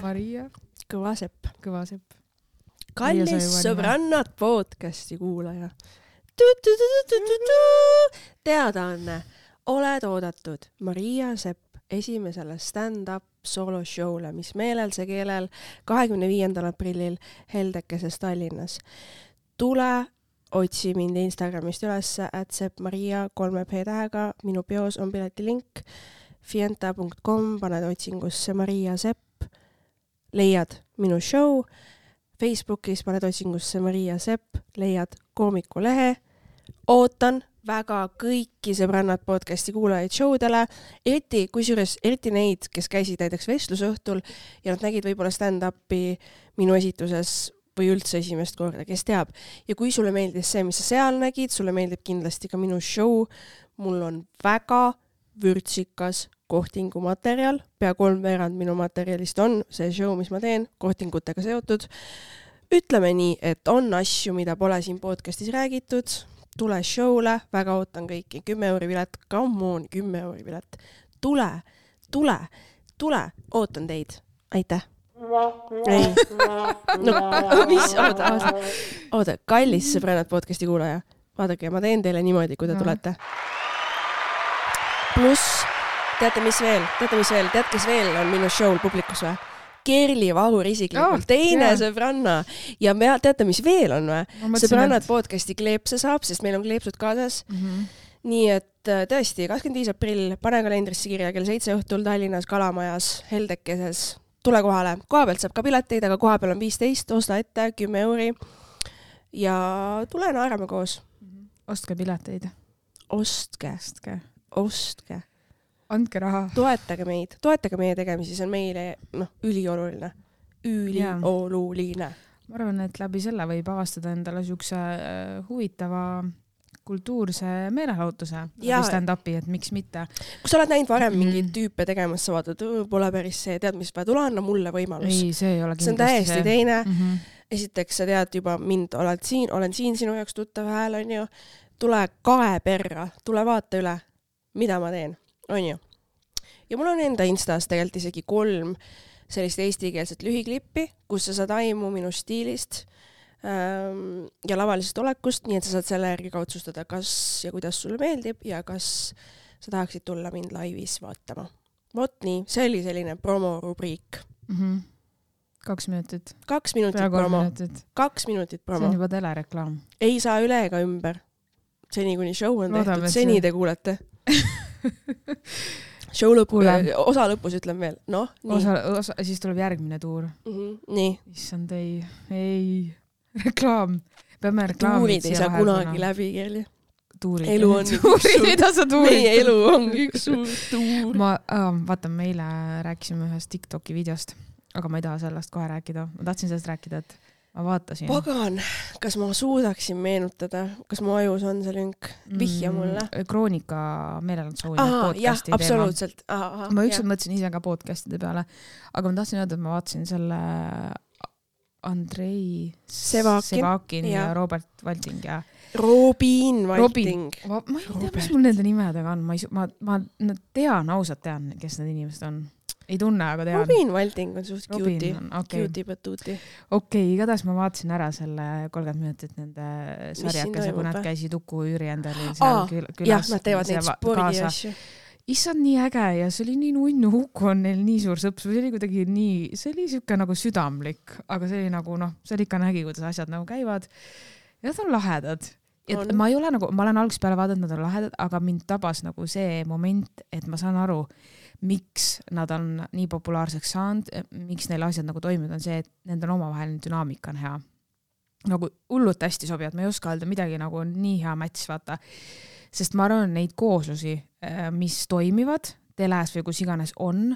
Maria. Kõvasepp. Kallis sõbrannad podcasti kuulaja. Teadaanne. Oled oodatud Maria Sepp esimesele stand-up soloshowle, mis meelelse keelel 25. aprillil Heldekeses Tallinnas. Tule, otsi mind Instagramist ülesse @seppmaria 3p tähega. Minu peos on piletilink fienta.com, paned otsingusse Maria Sepp, leiad minu show. Facebookis paned otsingusse Maria Sepp, leiad koomikulehe. Ootan väga kõiki sõbrannad podcasti kuulajaid showdele, eriti neid, kes käisid näiteks vestlusõhtul ja nad nägid võib-olla stand-upi minu esituses või üldse esimest korda, kes teab. Ja kui sulle meeldis see, mis sa seal nägid, sulle meeldib kindlasti ka minu show. Mul on väga vürtsikas kohtingumaterjal, pea 3/4 minu materjalist on see show, mis ma teen, kohtingutega seotud. Ütleme nii, et on asju, mida pole siin podcastis räägitud. Tule showle, väga ootan kõiki. 10 euri pilet, come on, 10 euri pilet. Tule, ootan teid. Aitäh. Ei. No, mis? Oota, kallis sõbrannad podcasti kuulaja. Vaadake, ma teen teile niimoodi, kui te tulete. Pluss, teate mis veel? Tead, kes veel on minu show'l publikus või? Kerli Vahur isiklikult, teine sõbranna. Ja teate, mis veel on või? Sõbrannad podcasti kleepse saab, sest meil on kleepsud kaasas. Nii et tõesti, 25. aprill, pane kalendrisse kirja kell 7 õhtul Tallinnas Kalamajas, Heldekeses. Tule kohale. Koha pealt saab ka pileteid, aga koha peal on 15, osta ette 10 euri. Ja tule naerame koos. Ostke pileteid. Ostke. Andke raha. Toetage meie tegemisi, see on meile ülioluline. Ma arvan, et läbi selle võib avastada endale siukse huvitava kultuurse meelelahutuse stand-upi, et miks mitte. Kui sa oled näinud varem mingeid tüüpe tegemas, sa vaatad, pole päris see, tead, mis vaja, tule anna mulle võimalus. Ei, see ei ole kindlasti see on täiesti teine. Esiteks, sa tead juba mind, olen siin sinu jaoks tuttav hääl, on ju. Tule kae perra, tule vaata üle, mida ma teen. On ju. Ja mul on enda Instas tegelikult isegi 3 sellist eestikeelset lühiklippi, kus sa saad aimu minu stiilist ja lavalisest olekust, nii et sa saad selle järgi ka otsustada, kas ja kuidas sulle meeldib ja kas sa tahaksid tulla mind laivis vaatama. Vot nii, see oli selline promorubriik. 2 minutit. 2 minutit promo. 2 minutit promo. See on juba telereklaam. Ei saa üle ega ümber. Seni kuni show on tehtud, seni te kuulete. Show osa lõpus ütlen veel. No, nii. Siis tuleb järgmine tuur. Nii. Issand ei. Reklaam. Peame reklaamid tuurid ei saa kunagi läbi, Kerli. Elu on meie elu on üks suur tuur. Vaata, me eile rääkisime ühest TikToki videost, aga ma ei taha sellest kohe rääkida. Ma tahtsin sellest rääkida, et ma vaatasin. Pagan, kas ma suudaksin meenutada, kas mu ajus on see lünk? Vihja mulle. Kroonika meelelahutuse podcasti jah, absoluutselt. Ma ükskord mõtlesin ise ka podcastide peale, aga ma tahtsin öelda, et ma vaatasin selle Andrei Sevakin ja Robert Valting ja Robin Valting. Ma ei tea, mis mul nende nimedega on. Ma tean, ausalt tean, kes need inimesed on. Ei tunne, aga tean. Robin Valting on suht cutie patuuti. Okei, igatahes ma vaatasin ära selle 30 minutit nende sarjakese, kui nad käisid Uku Jüri endale seal külas. Jah, nad teevad neid spordi asju. Issand nii äge ja see oli nii nunnu, Uku on neil nii suur sõps, see oli kuidagi nii, see oli siuke nagu südamlik, aga see oli nagu see oli ikka nägi, kuidas asjad nagu käivad ja nad on lahedad. Et ma ei ole nagu, ma olen algusest peale vaadanud, nad on lahedad, aga mind tabas nagu see moment, et ma saan aru, miks nad on nii populaarseks saanud, miks neil asjad nagu toimivad, on see, et nende omavaheline dünaamika on hea. Nagu hullult hästi sobivad, ma ei oska öelda midagi nagu nii hea match, vaata. Sest ma arvan, neid kooslusi, mis toimivad teles või kus iganes on,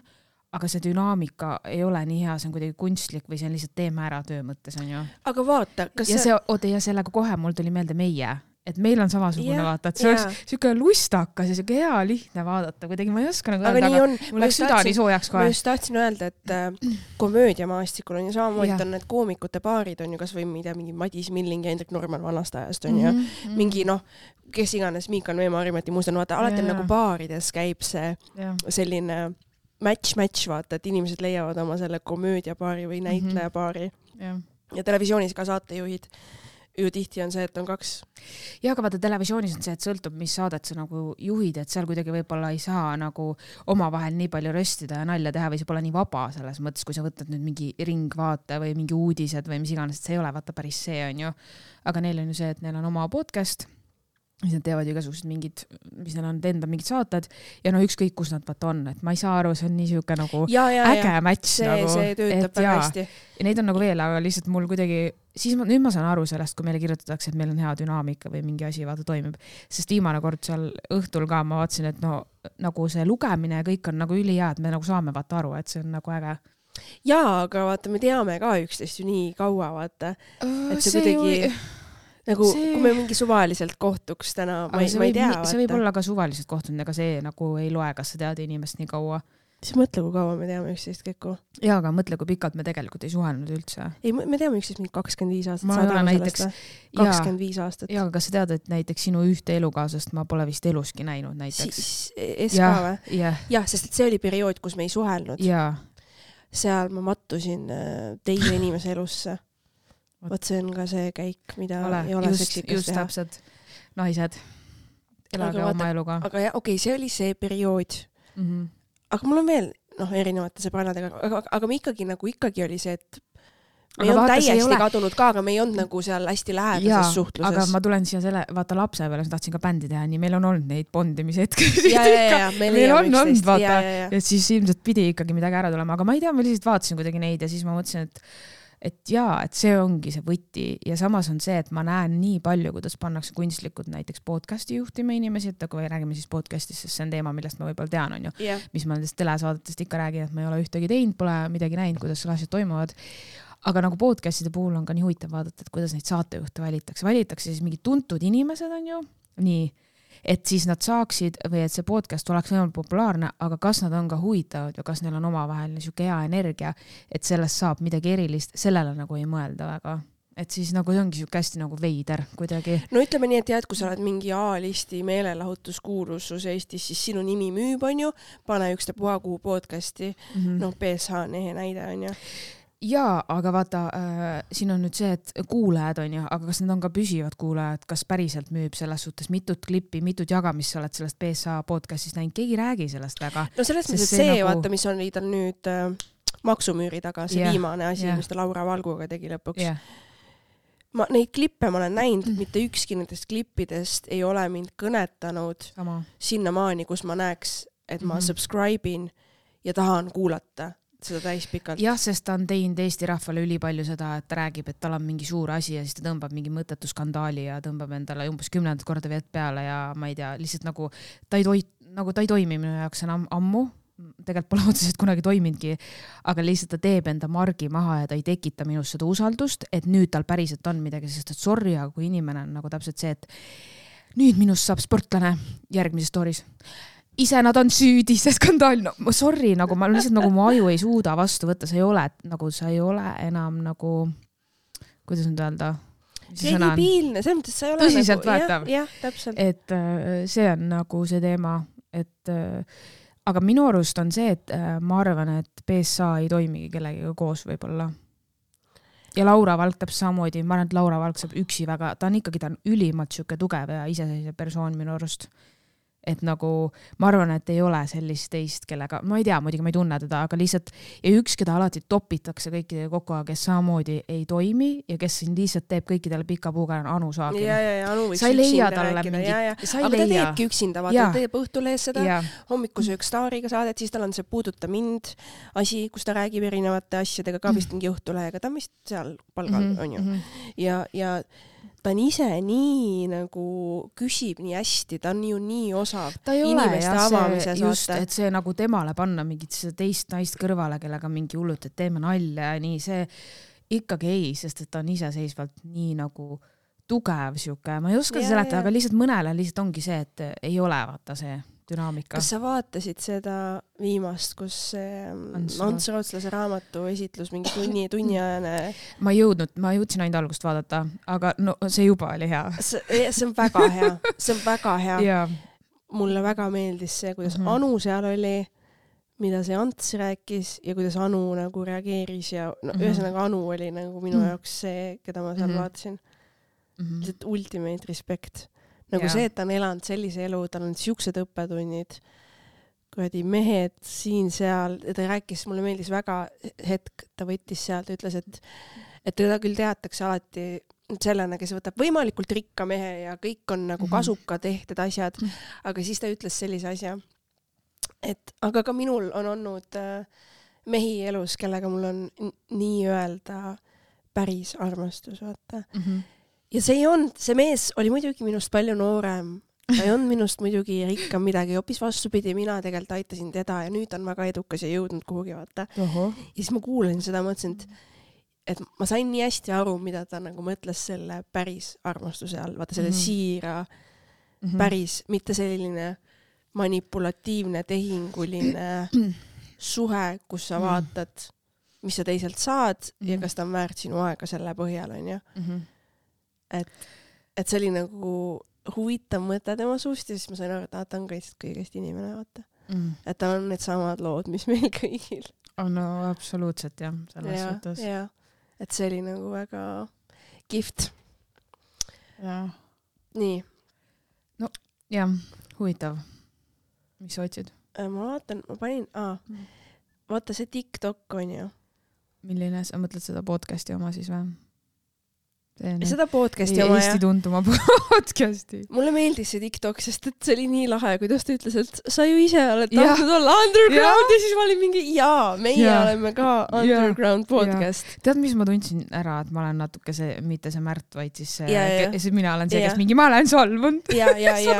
aga see dünaamika ei ole nii hea, see on kuidagi kunstlik või see on lihtsalt teeme ära töö mõttes, on ju. Aga vaata, kas ja sellega kohe mul tuli meelde meie, et meil on samasugune vaata, et see oleks siuke lustakas ja siuke hea lihtne vaadata, kuidagi ma ei oska nagu öelda, aga mul läks süda nii soojaks kohe. Ma just tahtsin öelda, et komöödiamaastikul on ju samamoodi on need koomikute paarid on ju kas või mingi Madis Milling ja Hendrik Norman vanast ajast on ju, mingi kes iganes Miikan Veema Arimati muustan, vaata, alati nagu baarides käib see selline match, vaata, et inimesed leiavad oma selle komöödiapaari või näitlejapaari. Jah. Ja televisioonis ka saatejuhid ju tihti on see, et on 2. Ja aga vaata televisioonis on see, et sõltub, mis saadet sa nagu juhid, et seal kuidagi võib-olla ei saa nagu omavahel nii palju röstida ja nalja teha või see pole nii vaba selles mõttes, kui sa võtad nüüd mingi ringvaate või mingi uudised või mis iganes, et see ei ole vaata päris see on ju. Aga neil on ju see, et neil on oma podcast, mis nad teevad igasugused mingid, mis neil on enda mingid saated ja no ükskõik, kus nad vaata on, et ma ei saa aru, see on nii siuke nagu äge match nagu. See töötab väga hästi. Ja neid on nagu veel, aga lihtsalt mul kuidagi, siis nüüd ma saan aru sellest, kui meile kirjutatakse, et meil on hea dünaamika või mingi asi vaata toimib, sest viimane kord seal õhtul ka ma vaatasin, et no nagu see lugemine ja kõik on nagu ülihea, et me nagu saame vaata aru, et see on nagu äge. Jaa, aga vaata, me teame ka üksteist ju nii kaua, vaata, et see kuidagi nagu, kui me mingi suvaliselt kohtuks täna, ma ei tea. See võib olla ka suvaliselt kohtunud, ega see nagu ei loe, kas sa tead inimest nii kaua. Siis mõtle, kui kaua me teame üksteist kõiku. Jaa, aga mõtle, kui pikalt me tegelikult ei suhelnud üldse. Ei, me teame üksteist mingi 25 aastat. Ma olen näiteks 25 aastat. Jaa, aga kas sa tead, et näiteks sinu ühte elukaasast ma pole vist eluski näinud näiteks? SK või? Jah, sest et see oli periood, kus me ei suhelnud. Jaa. Seal ma mattusin teise inimese elusse. Võt see on ka see käik, mida ei ole seksikas teha. Just täpselt. Naised. Elage oma eluga. Aga okei, see oli see periood. Aga mul on veel erinevate sõbrannadega, aga me ikkagi oli see, et me ei olnud täiesti kadunud ka, aga me ei olnud nagu seal hästi lähedases suhtluses. Aga ma tulen siia selle, vaata lapse peale, ma tahtsin ka bändi teha, nii meil on olnud neid bondimishetki. Meil on olnud, vaata, ja siis ilmselt pidi ikkagi midagi ära tulema, aga ma ei tea, ma lihtsalt vaatasin kuidagi neid ja siis ma mõtlesin, et see ongi see võti ja samas on see, et ma näen nii palju, kuidas pannakse kunstlikud näiteks podcasti juhtima inimesi, et kui räägime siis podcastist, sest see on teema, millest ma võib-olla tean, on ju, mis ma nendest telesaadetest ikka räägin, et ma ei ole ühtegi teinud, pole midagi näinud, kuidas asjad toimuvad. Aga nagu podcastide puhul on ka nii huvitav vaadata, et kuidas neid saatejuhte valitakse siis mingid tuntud inimesed on ju, nii, et siis nad saaksid või et see podcast oleks võimalik populaarne, aga kas nad on ka huvitavad ja kas neil on omavahel niisugune hea energia, et sellest saab midagi erilist, sellele nagu ei mõelda väga. Et siis nagu see ongi siuke hästi nagu veider kuidagi. No ütleme nii, et jah, et kui sa oled mingi A-listi meelelahutuskuulusus Eestis, siis sinu nimi müüb on ju, pane ükstapuha kuhu podcasti, PSH on ehe näide on ju. Jaa, aga vaata, siin on nüüd see, et kuulajad on ju, aga kas need on ka püsivad kuulajad, kas päriselt müüb selles suhtes mitut klippi, mitut jagamist sa oled sellest PSA podcastist näinud, keegi räägi sellest väga. No selles mõttes, et see nagu... vaata, mis on tal nüüd maksumüüri taga, see viimane asi, mis ta Laura Valguga tegi lõpuks. Neid klippe ma olen näinud, mitte ükski nendest klippidest ei ole mind kõnetanud sinnamaani, kus ma näeks, et ma subscribe'in ja tahan kuulata seda täispikalt. Jah, sest ta on teinud Eesti rahvale ülipalju seda, et ta räägib, et tal on mingi suur asi ja siis ta tõmbab mingi mõttetu skandaali ja tõmbab endale umbes 10 korda vett peale ja ma ei tea, lihtsalt nagu ta ei toimi minu jaoks enam ammu. Tegelikult pole otseselt kunagi toiminudki, aga lihtsalt ta teeb enda margi maha ja ta ei tekita minust seda usaldust, et nüüd tal päriselt on midagi, sest et sorry, aga kui inimene on nagu täpselt see, et nüüd minust saab sportlane järgmises stories. Ise nad on süüdi, see skandaal, no sorry, nagu ma lihtsalt nagu mu aju ei suuda vastu võtta, sa ei ole enam nagu, kuidas nüüd öelda? See on debiilne, selles mõttes sa ei ole tõsiselt võetav. Jah, täpselt. Et see on nagu see teema, et aga minu arust on see, et ma arvan, et PSA ei toimigi kellegiga koos võib-olla. Ja Laura Valk täpselt samamoodi, ma arvan, et Laura Valk saab üksi väga, ta on ülimalt siuke tugev ja iseseisev persoon minu arust. Et nagu, ma arvan, et ei ole sellist teist, kellega, ma ei tea, muidugi ma ei tunne teda, aga lihtsalt, ja üks, keda alati topitakse kõikidele kokku, kes samamoodi ei toimi ja kes siin lihtsalt teeb kõikidele pika puuga Anu Saagin. Ja, Anu võiks sa ei leia talle mingi, aga ta teebki üksinda, vaata, ta teeb Õhtulehes seda, hommikusöök Staariga saadet, siis tal on see Puuduta mind asi, kus ta räägib erinevate asjadega, ka vist mingi Õhtulehega, ta on vist seal palgal, on ju. Ja ta on ise nii nagu küsib nii hästi, ta on ju nii osav inimeste avamise saate. Et see nagu temale panna mingit teist naist kõrvale, kellega mingi hullut, et teeme nalja ja nii, see ikkagi ei, sest et ta on iseseisvalt nii nagu tugev siuke, ma ei oska seletada, aga lihtsalt mõnele lihtsalt ongi see, et ei ole vaata see dünaamika. Kas sa vaatasid seda viimast, kus Ants Rootslase raamatu esitlus mingi tunniajane? Ma jõudsin ainult algust vaadata, aga no see juba oli hea. See on väga hea, see on väga hea. Mulle väga meeldis see, kuidas Anu seal oli, mida see Ants rääkis ja kuidas Anu nagu reageeris ja ühesõnaga Anu oli nagu minu jaoks see, keda ma seal vaatasin. Lihtsalt ultimate respect. Nagu see, et ta on elanud sellise elu, tal on siuksed õppetunnid, kuradi mehed siin-seal, ta rääkis, mulle meeldis väga hetk, ta võttis sealt ja ütles, et teda küll teatakse alati sellena, kes võtab võimalikult rikka mehe ja kõik on nagu kasuka tehtud asjad, aga siis ta ütles sellise asja, et aga ka minul on olnud mehi elus, kellega mul on nii öelda päris armastus, vaata. Ja see mees oli muidugi minust palju noorem, ta ei olnud minust muidugi rikkam midagi, hoopis vastupidi, mina tegelikult aitasin teda ja nüüd on väga edukas ja jõudnud kuhugi, vaata. Ja siis ma kuulasin seda, mõtlesin, et ma sain nii hästi aru, mida ta nagu mõtles selle päris armastuse all, vaata selle siira päris, mitte selline manipulatiivne, tehinguline suhe, kus sa vaatad, mis sa teiselt saad ja kas ta on väärt sinu aega selle põhjal, on ju. Et see oli nagu huvitav mõte tema suust ja siis ma sain aru, et ta on kõigest inimene, vaata. Et tal on need samad lood, mis meil kõigil. No absoluutselt jah, selles suhtes. Ja, et see oli nagu väga kihvt. Ja. Nii. No jah, huvitav. Mis sa otsid? Ma vaatan, ma panin, vaata see TikTok on ju. Milline, sa mõtled seda podcasti oma siis või? Seda podcasti oma, Eesti tuntuma podcasti. Mulle meeldis see TikTok, sest et see oli nii lahe, kuidas ta ütles, et sa ju ise oled tahtnud olla underground ja siis ma olin mingi, meie oleme ka underground podcast. Tead, mis ma tundsin ära, et ma olen natuke see, mitte see Märt, vaid siis see mina olen see, kes mingi, ma olen solvunud. Ja siis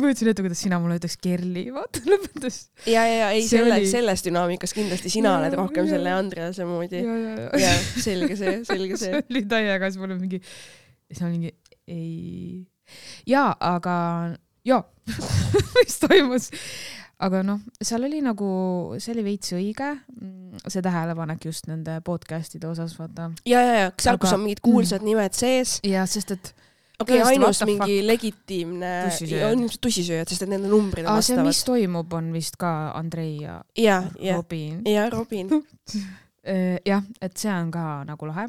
ma ütlesin ette, kuidas sina mulle ütleks Kerli, vaata lõpetas. Ei, selles dünaamikas kindlasti sina oled rohkem selle Andrease moodi. Ja, selge see. See oli täiega, siis mul on mingi, siis on mingi, ei. Jaa, aga mis toimus? Aga seal oli nagu, see oli veits õige, see tähelepanek just nende podcastide osas, vaata. Ja, seal kus on mingid kuulsad nimed sees. Ja, sest et ainus mingi legitiimne tussisööjad, sest et nende numbrid on vastavad. See, mis toimub, on vist ka Andrei ja Robin. Ja, Robin. Jah, et see on ka nagu lahe.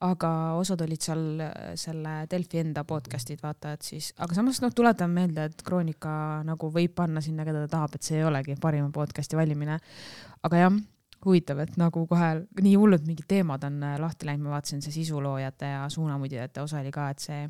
Aga osad olid seal selle Delfi enda podcastid, vaata, et siis, aga samas tuletan meelde, et Kroonika nagu võib panna sinna, keda ta tahab, et see ei olegi parima podcasti valimine. Aga jah, huvitav, et nagu kohe nii hullud mingid teemad on lahti läinud, ma vaatasin see sisuloojate ja suunamudjate osa oli ka, et see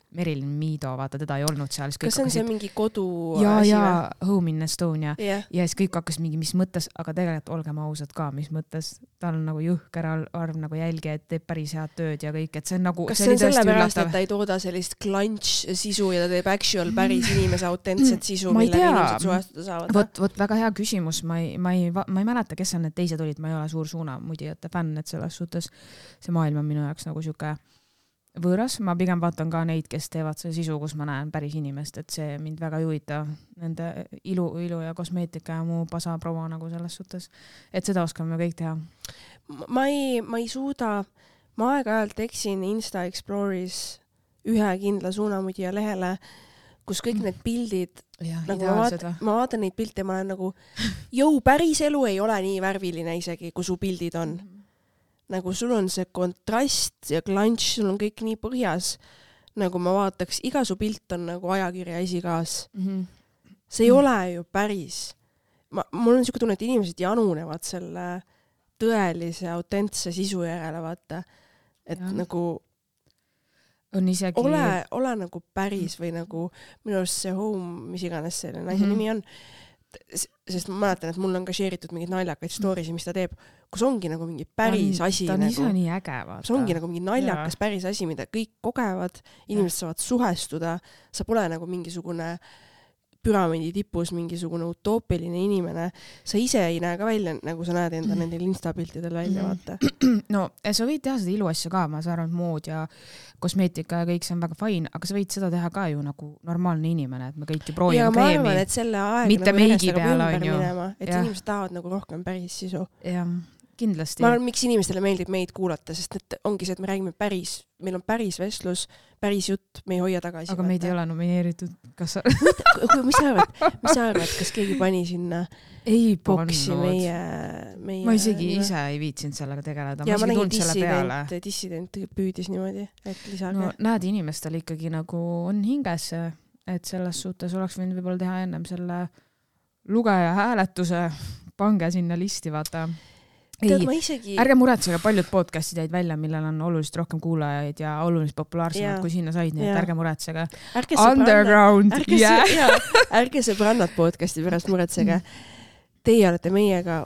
Merilin Miido, vaata, teda ei olnud seal. Kas on see mingi kodu ja Home in Estonia. Ja siis kõik hakkas mingi, mis mõttes, aga tegelikult olgem ausad ka, mis mõttes. Tal on nagu jõhker arv nagu jälgi, et teeb päris head tööd ja kõik, et see on nagu... Kas see on sellepärast, et ta ei tooda sellist clunch sisu ja ta teeb actual päris inimese autentset sisu, mille inimesed suhestuda saavad? Vot väga hea küsimus. Ma ei mäleta, kes on need teised olid, ma ei ole suur suunamudijate fänn, et selles suhtes see maailm on minu jaoks nagu siuke võõras, ma pigem vaatan ka neid, kes teevad see sisu, kus ma näen päris inimest, et see mind väga ei huvita nende ilu ja kosmeetika ja muu pasaproua nagu selles suhtes, et seda oskame kõik teha. Ma ei suuda, ma aeg-ajalt eksin Insta Explore'is ühe kindla suunamudija lehele, kus kõik need pildid, nagu ma vaatan neid pilte ja ma olen nagu, päris elu ei ole nii värviline isegi, kui su pildid on. Nagu sul on see kontrast ja klantš, sul on kõik nii põhjas, nagu ma vaataks, iga su pilt on nagu ajakirja esikaas. See ei ole ju päris. Mul on siuke tunne, et inimesed janunevad selle tõelise, autentse sisu järele, vaata. Et nagu on isegi... ole nagu päris või nagu minu arust see Home, mis iganes selle naise nimi on, sest ma mäletan, et mul on ka share'itud mingid naljakaid stories, mis ta teeb, kus ongi nagu mingi päris asi. Ta on ise nii äge, vaata. See ongi nagu mingi naljakas päris asi, mida kõik kogevad, inimesed saavad suhestuda, sa pole nagu mingisugune püramiidi tipus mingisugune utoopiline inimene. Sa ise ei näe ka välja, nagu sa näed enda nendel instapiltidel välja, vaata. No, sa võid teha seda iluasja ka, ma saan aru, mood ja kosmeetika ja kõik see on väga fine, aga sa võid seda teha ka ju nagu normaalne inimene, et me kõik ju proovime kreemi. Ja ma arvan, et selle aeg mitte nagu meigi peale on ju. Et inimesed tahavad nagu rohkem päris sisu. Jah, kindlasti. ma arvan, miks inimestele meeldib meid kuulata, sest et ongi see, et me räägime meil on päris vestlus, päris jutt, me ei hoia tagasi. Aga meid ei ole nomineeritud. Kas sa... mis sa arvad, kas keegi pani sinna boksi meie... Ma isegi ise ei viitsinud sellega tegeleda. Ja ma nägin dissident püüdis niimoodi, et lisage. No näed, inimestel ikkagi nagu on hinges, et selles suhtes oleks võinud võib-olla teha ennem selle lugeja hääletuse, pange sinna listi, vaata. Ärge muretsege, paljud podcastid jäid välja, millel on oluliselt rohkem kuulajaid ja oluliselt populaarsemad kui sinna said, nii et ärge muretsege. Underground. Ärge sõbrannad podcasti pärast muretsege. Teie olete meiega,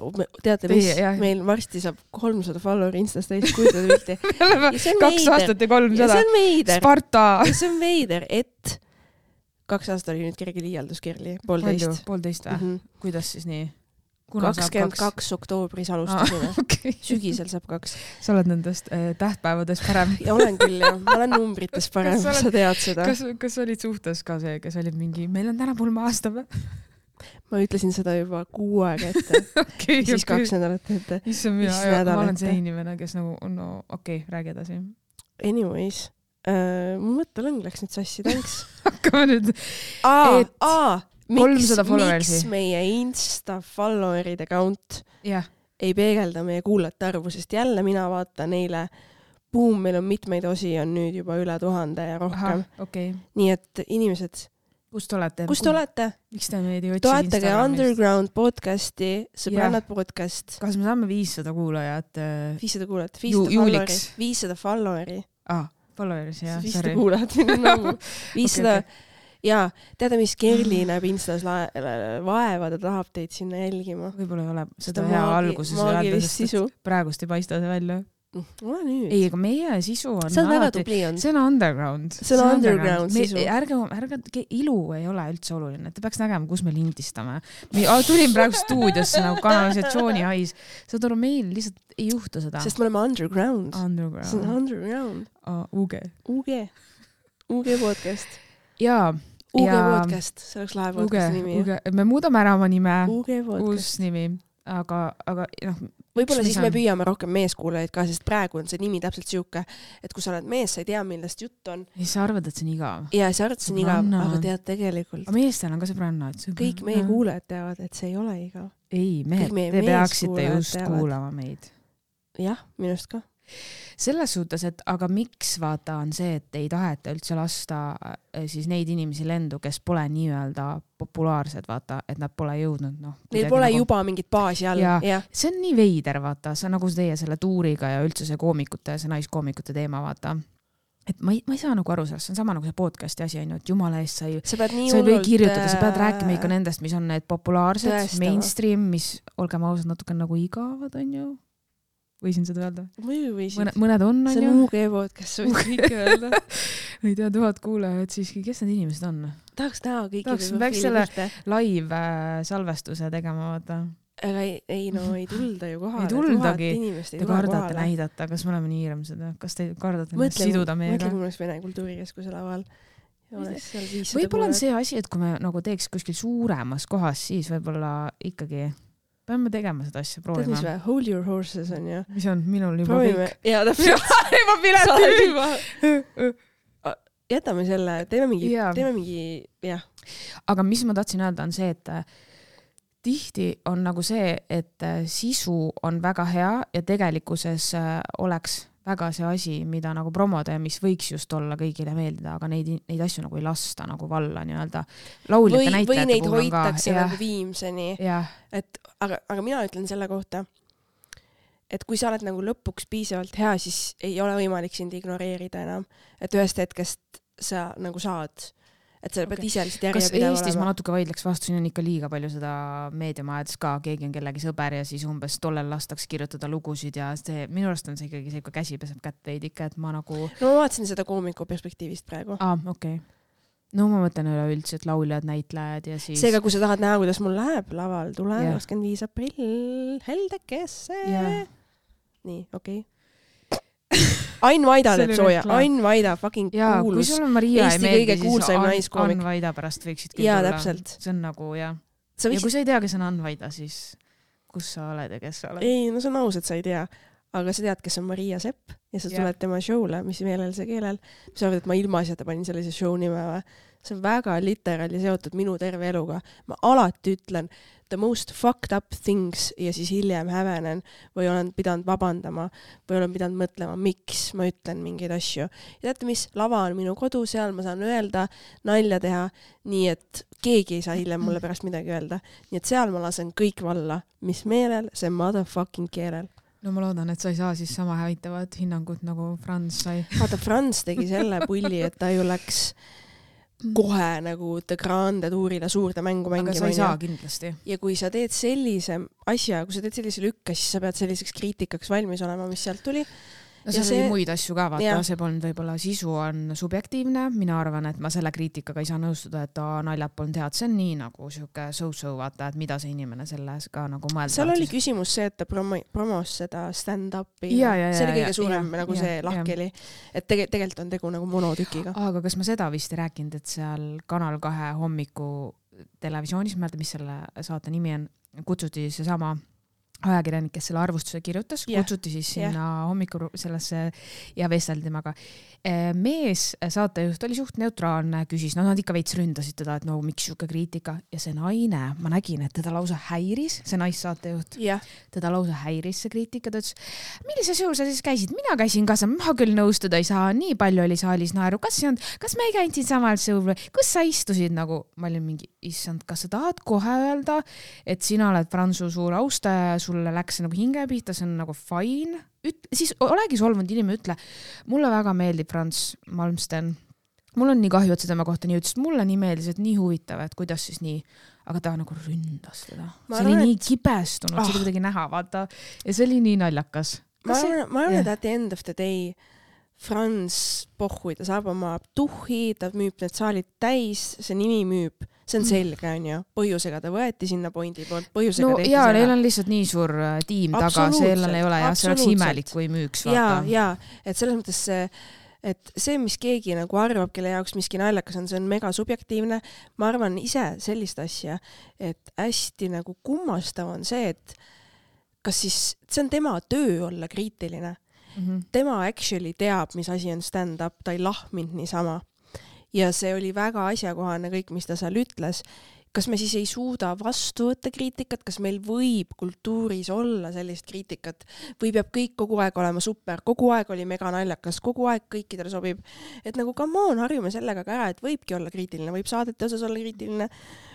teate mis, meil varsti saab 300 followeri Instas täis, kujutada pilti. 2 aastat ja 300. See on veider. Sparta. See on veider, et 2 aastat oli nüüd kerge liialdus, Kerli, 1,5. 1,5 või? Kuidas siis nii? 22 oktoobris alustasime. Okay. Sügisel saab 2. Sa oled nendest tähtpäevadest parem. Ja olen küll, jah. Ma olen numbrites parem, sa tead seda. Kas olid suhtes ka see, kes olid mingi, meil on täna pulma-aasta või? Ma ütlesin seda juba 6 aega ette. Siis 2 nädalat ette. Ma olen see inimene, kes nagu, no okei, räägi edasi. Anyways, mu mõttelõng läks nüüd sassi, thanks. Hakkame nüüd. 300 followersi. Miks meie Insta followeride count ei peegelda meie kuulajate arvu, sest jälle mina vaatan neile, meil on mitmeid osi, on nüüd juba üle 1000 ja rohkem. Okay. Nii et inimesed, Kust olete? Miks te meid ei otsi toetage Underground podcasti, sõbrannad podcast. Kas me saame 500 kuulajat? 500 kuulajat, 500 followeri. 500 followeri. Followeris, jah. 500 kuulajat. 500... Ja, teada, mis Kerli näeb Instas vaeva, ta tahab teid sinna jälgima. Võib-olla ei ole seda hea alguses öelda, sest praegust ei paista see välja. Ole nüüd. Ei, aga meie sisu on see on väga tubli on. See on underground. See on underground sisu. Ärge, ilu ei ole üldse oluline. Te peaks nägema, kus me lindistame. Tulin praegu stuudiosse nagu kanalisatsiooni hais. Saad aru, meil lihtsalt ei juhtu seda. Sest me oleme underground. See on underground. UG podcast. Jaa. UG podcast, see oleks lahe podcasti nimi. Me muudame ära oma nime. UG podcast. Uus nimi. Aga noh, võib-olla siis me püüame rohkem meeskuulajaid ka, sest praegu on see nimi täpselt siuke, et kui sa oled mees, sa ei tea, millest jutt on. Ja sa arvad, et see on igav. Ja sa arvad, et see on igav, aga tead tegelikult. Aga meestel on ka sõbrannad. Kõik meie kuulajad teavad, et see ei ole igav. Ei, mehed, te peaksite just kuulama meid. Jah, minust ka. Selles suhtes, et aga miks vaata on see, et ei taheta üldse lasta siis neid inimesi lendu, kes pole nii-öelda populaarsed, vaata, et nad pole jõudnud. Neil pole nagu... juba mingit baasi all. Ja. See on nii veider, vaata, see on nagu teie selle tuuriga ja üldse see koomikute, see naiskoomikute teema, vaata. Et ma ei saa nagu aru sellest, see on sama nagu see podcasti asi, et jumala eest sa ei või kirjutada, sa pead rääkima ikka nendest, mis on need populaarsed, mainstream, mis, olgem ausad, natuke nagu igavad, on ju. Võisin seda öelda? Mõned on, see on UG podcast, sa võid kõike öelda. Ei tea, 1000 kuulajad siiski, kes need inimesed on? Tahaks näha kõiki. Peaks selle live salvestuse tegema, vaata. Aga ei tulda ju kohale. Ei tuldagi. Te kardate näidata, kas me oleme nii hirmsad? Kas te kardate siduda meiega? Mõtle, kui Vene Kultuurikeskuse laval. Võib-olla on see asi, et kui me nagu teeks kuskil suuremas kohas, siis võib-olla ikkagi... Peame tegema seda asja, proovima. Tead mis või? Hold your horses on, jah? Mis on? Minul juba kõik. Jaa, täpselt. Juba pileti. Jätame selle, teeme mingi, jah. Aga mis ma tahtsin öelda on see, et tihti on nagu see, et sisu on väga hea ja tegelikkuses oleks väga see asi, mida nagu promoda ja mis võiks just olla kõigile meeldida, aga neid asju nagu ei lasta nagu valla nii-öelda. Lauljate näitajate puhul on ka. Või neid hoitakse nagu viimseni. Aga mina ütlen selle kohta, et kui sa oled nagu lõpuks piisavalt hea, siis ei ole võimalik sind ignoreerida enam. Et ühest hetkest sa nagu saad, et sa pead ise lihtsalt järjepideva olema. Kas Eestis ma natuke vaidleks vastu, siin on ikka liiga palju seda meediamajades ka, keegi on kellegi sõber ja siis umbes tollel lastakse kirjutada lugusid ja see, minu arust on see ikkagi see, kui käsi peseb kätt veidike, et ma nagu... No ma vaatasin seda koomiku perspektiivist praegu. Okei. No ma mõtlen üleüldse, et lauljad, näitlejad ja siis... Seega, kui sa tahad näha, kuidas mul läheb laval, tule 25. aprill, Heldekesse. Nii, okei. Ain Vaida teeb sooja. Ain Vaida, fucking kuulus. Kui sul on Maria Eesti kõige kuulsaim naiskoomik. Ain Vaida pärast võiksid küll tulla. Täpselt. See on nagu, ja kui sa ei tea, kes on Ain Vaida, siis kus sa oled ja kes sa oled? Ei, no see on aus, et sa ei tea. Aga sa tead, kes on Maria Sepp ja sa tuled tema show'le, mis meelelse keelel. Sa arvad, et ma ilmaasjata panin sellise show nime või? See on väga literaali seotud minu terve eluga. Ma alati ütlen the most fucked up things ja siis hiljem hävenen või olen pidanud vabandama või olen pidanud mõtlema, miks ma ütlen mingeid asju. Ja teate mis? Lava on minu kodu, seal ma saan öelda, nalja teha, nii et keegi ei saa hiljem mulle pärast midagi öelda. Nii et seal ma lasen kõik valla, mis meelel, see motherfucking keelel. No ma loodan, et sa ei saa siis sama hävitavat hinnangut nagu Franz sai. Vaata, Franz tegi selle pulli, et ta ju läks kohe nagu The Grande tuurile suurde mängu mängima. Aga sa ei saa kindlasti. Ja kui sa teed sellise asja, kui sa teed sellise lükka, siis sa pead selliseks kriitikaks valmis olema, mis sealt tuli. No seal oli muid asju ka, vaata, see polnud võib-olla sisu on subjektiivne. Mina arvan, et ma selle kriitikaga ei saa nõustuda, et naljad polnud head. See on nii nagu siuke so-so, vaata, et mida see inimene selles ka nagu mõelda. Seal oli küsimus see, et ta promos seda stand-upi. See oli kõige suurem nagu see lahk oli. Et tegelikult on tegu nagu monotükiga. Aga kas ma seda vist ei rääkinud, et seal Kanal 2 hommiku televisioonis, ma mõelda, mis selle saate nimi on, kutsuti see sama ajakirjanik, kes selle arvustuse kirjutas, kutsuti siis sinna hommiku sellesse ja vesteldi temaga. Mees, saatejuht oli suht neutraalne, küsis, nad ikka veits ründasid teda, et no miks siuke kriitika ja see naine, ma nägin, et teda lausa häiris, see naissaatejuht, teda lausa häiris see kriitika, ta ütles, millise show sa siis käisid? Mina käisin ka, ma küll nõustuda ei saa, nii palju oli saalis naeru, kas me ei käinud siin samal show või kus sa istusid nagu, ma olin mingi, issand, kas sa tahad kohe öelda, et sina oled Franzu suur austaja, sulle läks nagu hinge pihta, see on nagu fine. Siis olegi solvunud inimene, ütle, mulle väga meeldib Franz Malmsten. Mul on nii kahju, et see tema kohta nii ütles, mulle nii meeldis, et nii huvitav, et kuidas siis nii, aga ta nagu ründas teda. See oli nii kibestunud, see oli kuidagi näha, vaata, ja see oli nii naljakas. Ma arvan, et at the end of the day Franz pohhui, ta saab oma tuhhi, ta müüb need saalid täis, see nimi müüb, see on selge, on ju. Põhjusega ta võeti sinna pointi poolt, põhjusega tehti seda. Neil on lihtsalt nii suur tiim taga, sellel ei ole ja see oleks imelik, kui müüks. Ja, et selles mõttes see, mis keegi nagu arvab, kelle jaoks miski naljakas on, see on mega subjektiivne. Ma arvan ise sellist asja, et hästi nagu kummastav on see, et kas siis, see on tema töö olla kriitiline. Tema actually teab, mis asi on stand-up, ta ei lahminud niisama. Ja see oli väga asjakohane kõik, mis ta seal ütles. Kas me siis ei suuda vastu võtta kriitikat, kas meil võib kultuuris olla sellist kriitikat või peab kõik kogu aeg olema super, kogu aeg oli mega naljakas, kogu aeg kõikidele sobib. Et nagu come on, harjume sellega ka ära, et võibki olla kriitiline, võib saadete osas olla kriitiline,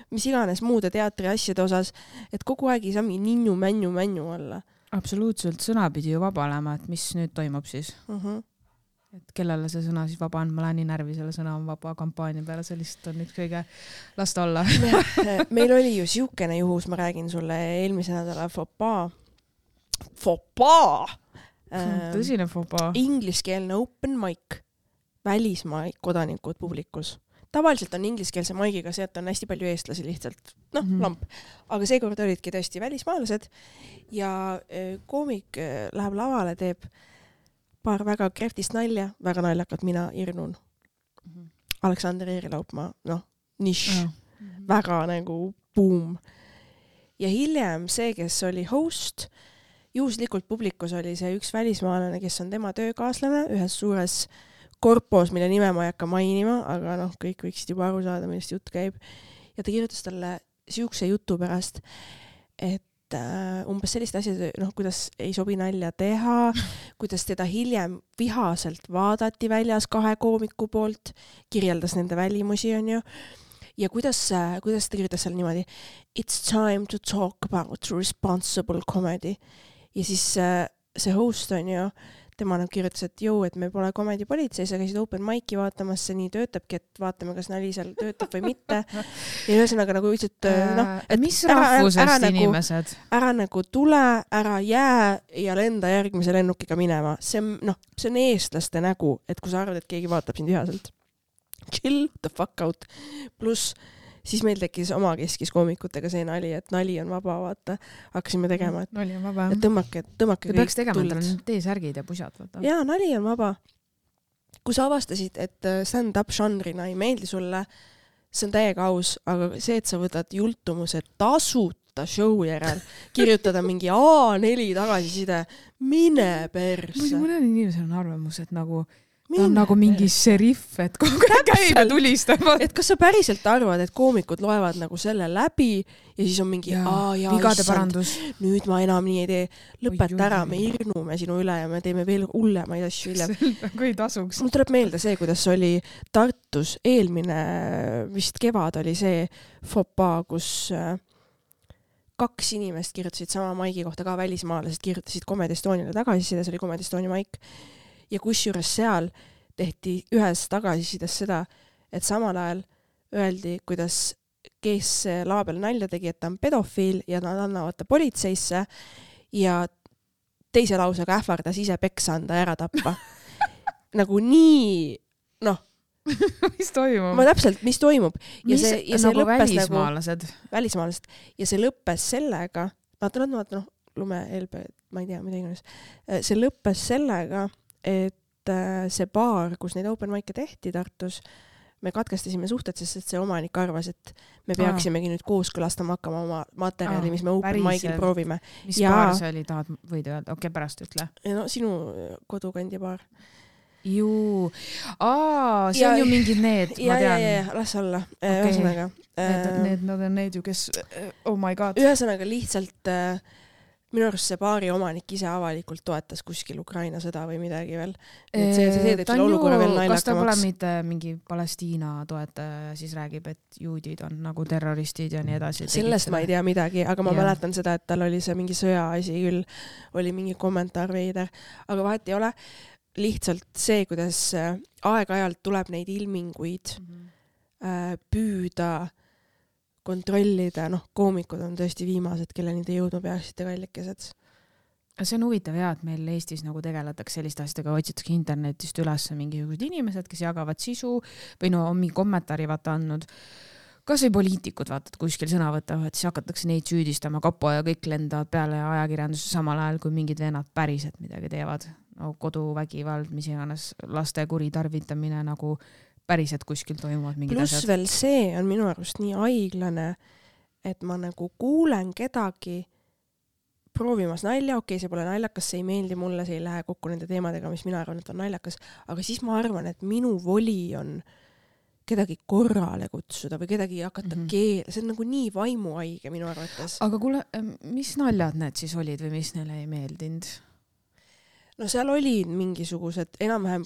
mis iganes muude teatri asjade osas, et kogu aeg ei saa mingi ninnu-männu olla. Absoluutselt, sõna pidi ju vaba olema, et mis nüüd toimub siis. Et kellele see sõna siis vaba on, ma lähen nii närvi selle sõna on vaba kampaania peale, see lihtsalt on nüüd kõige lasta olla. Meil oli ju siukene juhus, ma räägin sulle eelmise nädala fopaa. Tõsine fopaa. Ingliskeelne open mic, välismaa kodanikud publikus. Tavaliselt on ingliskeelse maigiga see, et on hästi palju eestlasi lihtsalt, lamp. Aga seekord olidki tõesti välismaalased ja koomik läheb lavale, teeb paar väga krehvtist nalja, väga naljakat, mina irnun. Aleksander Eerilaupmaa, nišš, väga nagu boom. Ja hiljem see, kes oli host, juhuslikult publikus oli see üks välismaalane, kes on tema töökaaslane ühes suures korpos, mille nime ma ei hakka mainima, aga kõik võiksid juba aru saada, millest jutt käib. Ja ta kirjutas talle siukse jutu pärast, et umbes sellist asja, kuidas ei sobi nalja teha, kuidas teda hiljem vihaselt vaadati väljas 2 koomiku poolt, kirjeldas nende välimusi, on ju. Ja kuidas ta kirjutas seal niimoodi, it's time to talk about responsible comedy. Ja siis see host on ju, tema kirjutas, et et me pole komedipolitsei, sa käisid open mic'i vaatamas, see nii töötabki, et vaatame, kas nali seal töötab või mitte. Ja ühesõnaga nagu ütlesid, mis rahvusest inimesed? Ära nagu tule, ära jää ja lenda järgmise lennukiga minema. See on eestlaste nägu, et kui sa arvad, et keegi vaatab sind vihaselt. Chill the fuck out. Plus siis meil tekkis oma keskis koomikutega see nali, et nali on vaba, vaata. Hakkasime tegema, et nali on vaba. Et tõmmake kõik peaks tegema, et on teesärgid ja pusad, vaata. Jaa, nali on vaba. Kui sa avastasid, et stand-up žanrina ei meeldi sulle, see on täiega aus, aga see, et sa võtad jultumuse tasuta võtta show järel, kirjutada mingi A4 tagasiside, mine perse. Mõnel inimesel on arvamus, et nagu ta on nagu mingi šeriff, et kogu aeg käib ja tulistab. Et kas sa päriselt arvad, et koomikud loevad nagu selle läbi ja siis on mingi vigade parandus. Nüüd ma enam nii ei tee. Lõpeta ära, me irnume sinu üle ja me teeme veel hullemaid asju hiljem. Kui tasuks. Mul tuleb meelde see, kuidas oli Tartus eelmine vist kevad oli see fopa, kus 2 inimest kirjutasid sama maigi kohta ka välismaalased, kirjutasid Comedy Estoniale tagasiside, see oli Comedy Estonia maik. Ja kusjuures seal tehti ühes tagasisides seda, et samal ajal öeldi, kuidas kes lava peal nalja tegi, et ta on pedofiil ja nad annavad ta politseisse ja teise lausega ähvardas ise peksa anda ja ära tappa. Nagu nii, noh. Mis toimub? Ma täpselt, mis toimub. Ja see nagu lõppes välismaalased. Välismaalased. Ja see lõppes sellega, lume, LB, ma ei tea, mida iganes. See lõppes sellega, et see baar, kus neid open mic'e tehti Tartus, me katkestasime suhted, sest see omanik arvas, et me peaksimegi nüüd kooskõlastama hakkama oma materjali, mis me open mic'il proovime. Mis baar see oli, võid öelda? Okei, pärast ütle. No sinu kodukandi baar. Juu. See on ju mingid need, ma tean. Ja, las olla. Ühesõnaga. Nad on need ju, kes, oh my god. Ühesõnaga lihtsalt minu arust see baari omanik ise avalikult toetas kuskil Ukraina sõda või midagi veel. Et see teeb selle olukorra veel naljakamaks. Kas ta pole mitte mingi Palestiina toetaja siis räägib, et juudid on nagu terroristid ja nii edasi? Sellest ma ei tea midagi, aga ma mäletan seda, et tal oli see mingi sõjaasi küll, oli mingi kommentaar veider, aga vahet ei ole. Lihtsalt see, kuidas aeg-ajalt tuleb neid ilminguid püüda kontrollida, koomikud on tõesti viimased, kelle nüüd jõudma peaksite kallikesed. See on huvitav et meil Eestis nagu tegeletakse selliste asjadega, otsitakse internetist üles mingisugused inimesed, kes jagavad sisu või on mingi kommentaari andnud. Kas või poliitikud vaatad kuskil sõna võtavad, siis hakatakse neid süüdistama, kapo ja kõik lendavad peale ajakirjanduse samal ajal, kui mingid vennad päriselt midagi teevad. Koduvägivald, mis iganes laste kuritarvitamine nagu päriselt kuskil toimuvad mingid asjad. Plus veel see on minu arust nii aiglane, et ma nagu kuulen kedagi proovimas nalja, okei, see pole naljakas, see ei meeldi mulle, see ei lähe kokku nende teemadega, mis mina arvan, et on naljakas, aga siis ma arvan, et minu voli on kedagi korrale kutsuda või kedagi hakata keele, see on nagu nii vaimuhaige minu arvates. Aga kuule, mis naljad need siis olid või mis neile ei meeldinud? No seal olid mingisugused, enam-vähem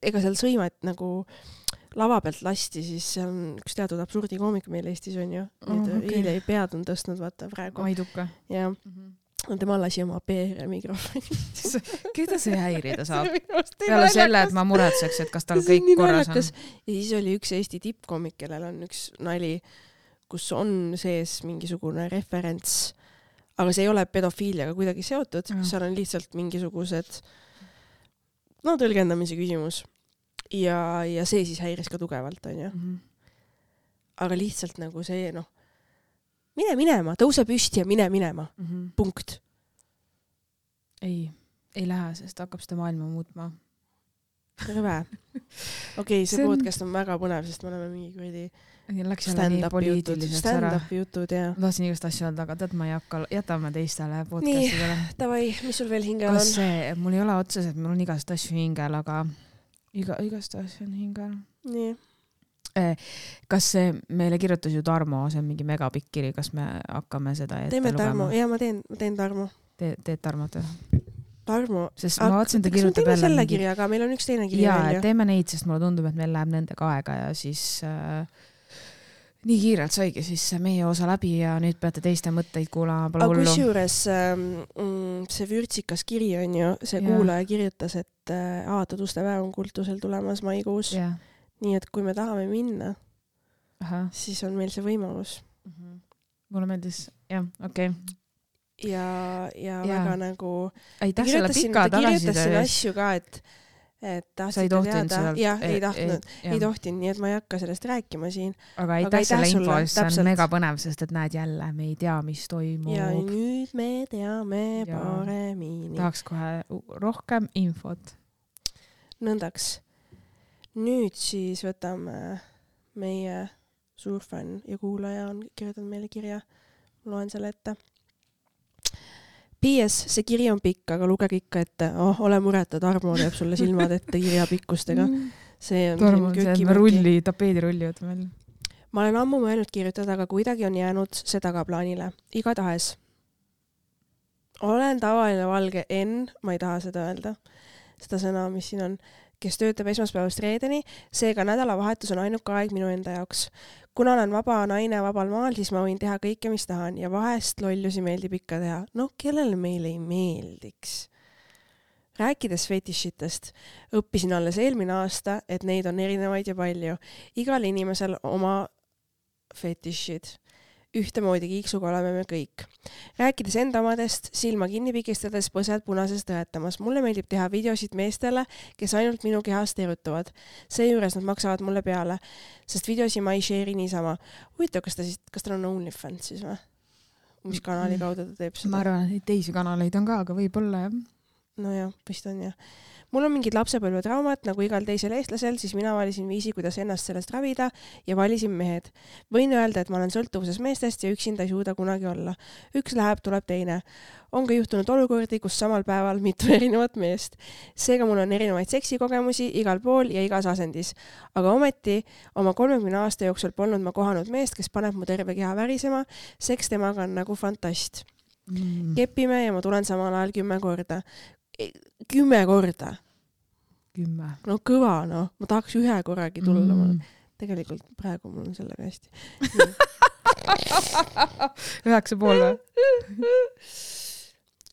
ega seal sõimat nagu lava pealt lasti, siis see on üks teatud absurdi koomik meil Eestis on ju. Eile pead on tõstnud, vaata praegu. Aiduka. Ja tema lasi oma PR mikrofoni. Keda see häirida saab? Peale selle, et ma muretseks, et kas tal kõik korras on. Ja siis oli üks Eesti tippkoomik, kellel on üks nali, kus on sees mingisugune referents, aga see ei ole pedofiiliaga kuidagi seotud, seal on lihtsalt mingisugused tõlgendamise küsimus. Ja see siis häiris ka tugevalt, on ju. Aga lihtsalt nagu see, mine minema, tõuse püsti ja mine minema. Punkt. Ei lähe, sest hakkab seda maailma muutma. Rõve. Okei, see podcast on väga põnev, sest me oleme mingi kuradi stand-up jutud, jah. Ma tahtsin igast asju öelda, aga tead, ma ei hakka, jätame teistele podcastidele. Nii, davai, mis sul veel hingel on? Mul ei ole otseselt, mul on igast asju hingel, aga igast asju on hingel. Nii. Kas meile kirjutas ju Tarmo, see on mingi megapikk kiri, kas me hakkame seda ette lugema? Teeme Tarmo, jah, ma teen Tarmo. Teed Tarmot või? Tarmo, sest ma vaatsin, ta kirjutab jälle selle kirja, aga meil on üks teine kirja välja. Teeme neid, sest mulle tundub, et meil läheb nendega aega ja siis nii kiirelt saigi siis meie osa läbi ja nüüd peate teiste mõtteid kuulama, pole hullu. Aga kusjuures see vürtsikas kiri on ju, see kuulaja kirjutas, et avatud uste päev on kultusel tulemas maikuus. Nii et kui me tahame minna, siis on meil see võimalus. Mulle meeldis, jah, okei. Ja väga nagu aitäh selle pika kirjutasin asju ka, et tahtsite teada. Jah, ei tahtnud. Ei tohtinud, nii et ma ei hakka sellest rääkima siin. Aga aitäh selle info, see on mega põnev, sest et näed jälle, me ei tea, mis toimub. Ja nüüd me teame paremini. Tahaks kohe rohkem infot. Nõndaks. Nüüd siis võtame meie suurfänn ja kuulaja on kirjutanud meile kirja. loen selle ette. PS, see kiri on pikk, aga lugege ikka ette. Ole mureta, Tarmo teeb sulle silmad ette kirjapikkustega. See on Tarmo on see tapeedirulli võtame välja. Ma olen ammu mõelnud kirjutada, aga kuidagi on jäänud see tagaplaanile. Igatahes. Olen tavaline valge N, ma ei taha seda öelda, seda sõna, mis siin on, kes töötab esmaspäevast reedeni, seega nädalavahetus on ainuke aeg minu enda jaoks. Kuna olen vaba naine vabal maal, siis ma võin teha kõike, mis tahan ja vahest lollusi meeldib ikka teha. No, kellele meile ei meeldiks? Rääkides fetišitest, õppisin alles eelmine aasta, et neid on erinevaid ja palju. Igal inimesel oma fetišid. Ühtemoodi kiiksuga oleme me kõik. Rääkides enda omadest, silma kinni pikistades põsed punases tõetamas. Mulle meeldib teha videosid meestele, kes ainult minu kehast erutuvad. Seejuures nad maksavad mulle peale, sest videosi ma ei share'i niisama. Huvitav, kas tal on OnlyFans siis või? Mis kanali kaudu ta teeb seda? Ma arvan, et teisi kanaleid on ka, aga võib-olla jah. No jah, vist on jah. Mul on mingid lapsepõlvetraumat, nagu igal teisel eestlasel, siis mina valisin viisi, kuidas ennast sellest ravida ja valisin mehed. Võin öelda, et ma olen sõltuvuses meestest ja üksinda ei suuda kunagi olla. Üks läheb, tuleb teine. On ka juhtunud olukordi, kus samal päeval mitu erinevat meest. Seega mul on erinevaid seksikogemusi igal pool ja igas asendis. Aga ometi oma 30 aasta jooksul polnud ma kohanud meest, kes paneb mu terve keha värisema. Seks temaga on nagu fantast. Kepime ja ma tulen samal ajal 10 korda. 10 korda. 10. No kõva, no. Ma tahaks 1 korragi tulla. Tegelikult praegu mul on sellega hästi. 9,5 või?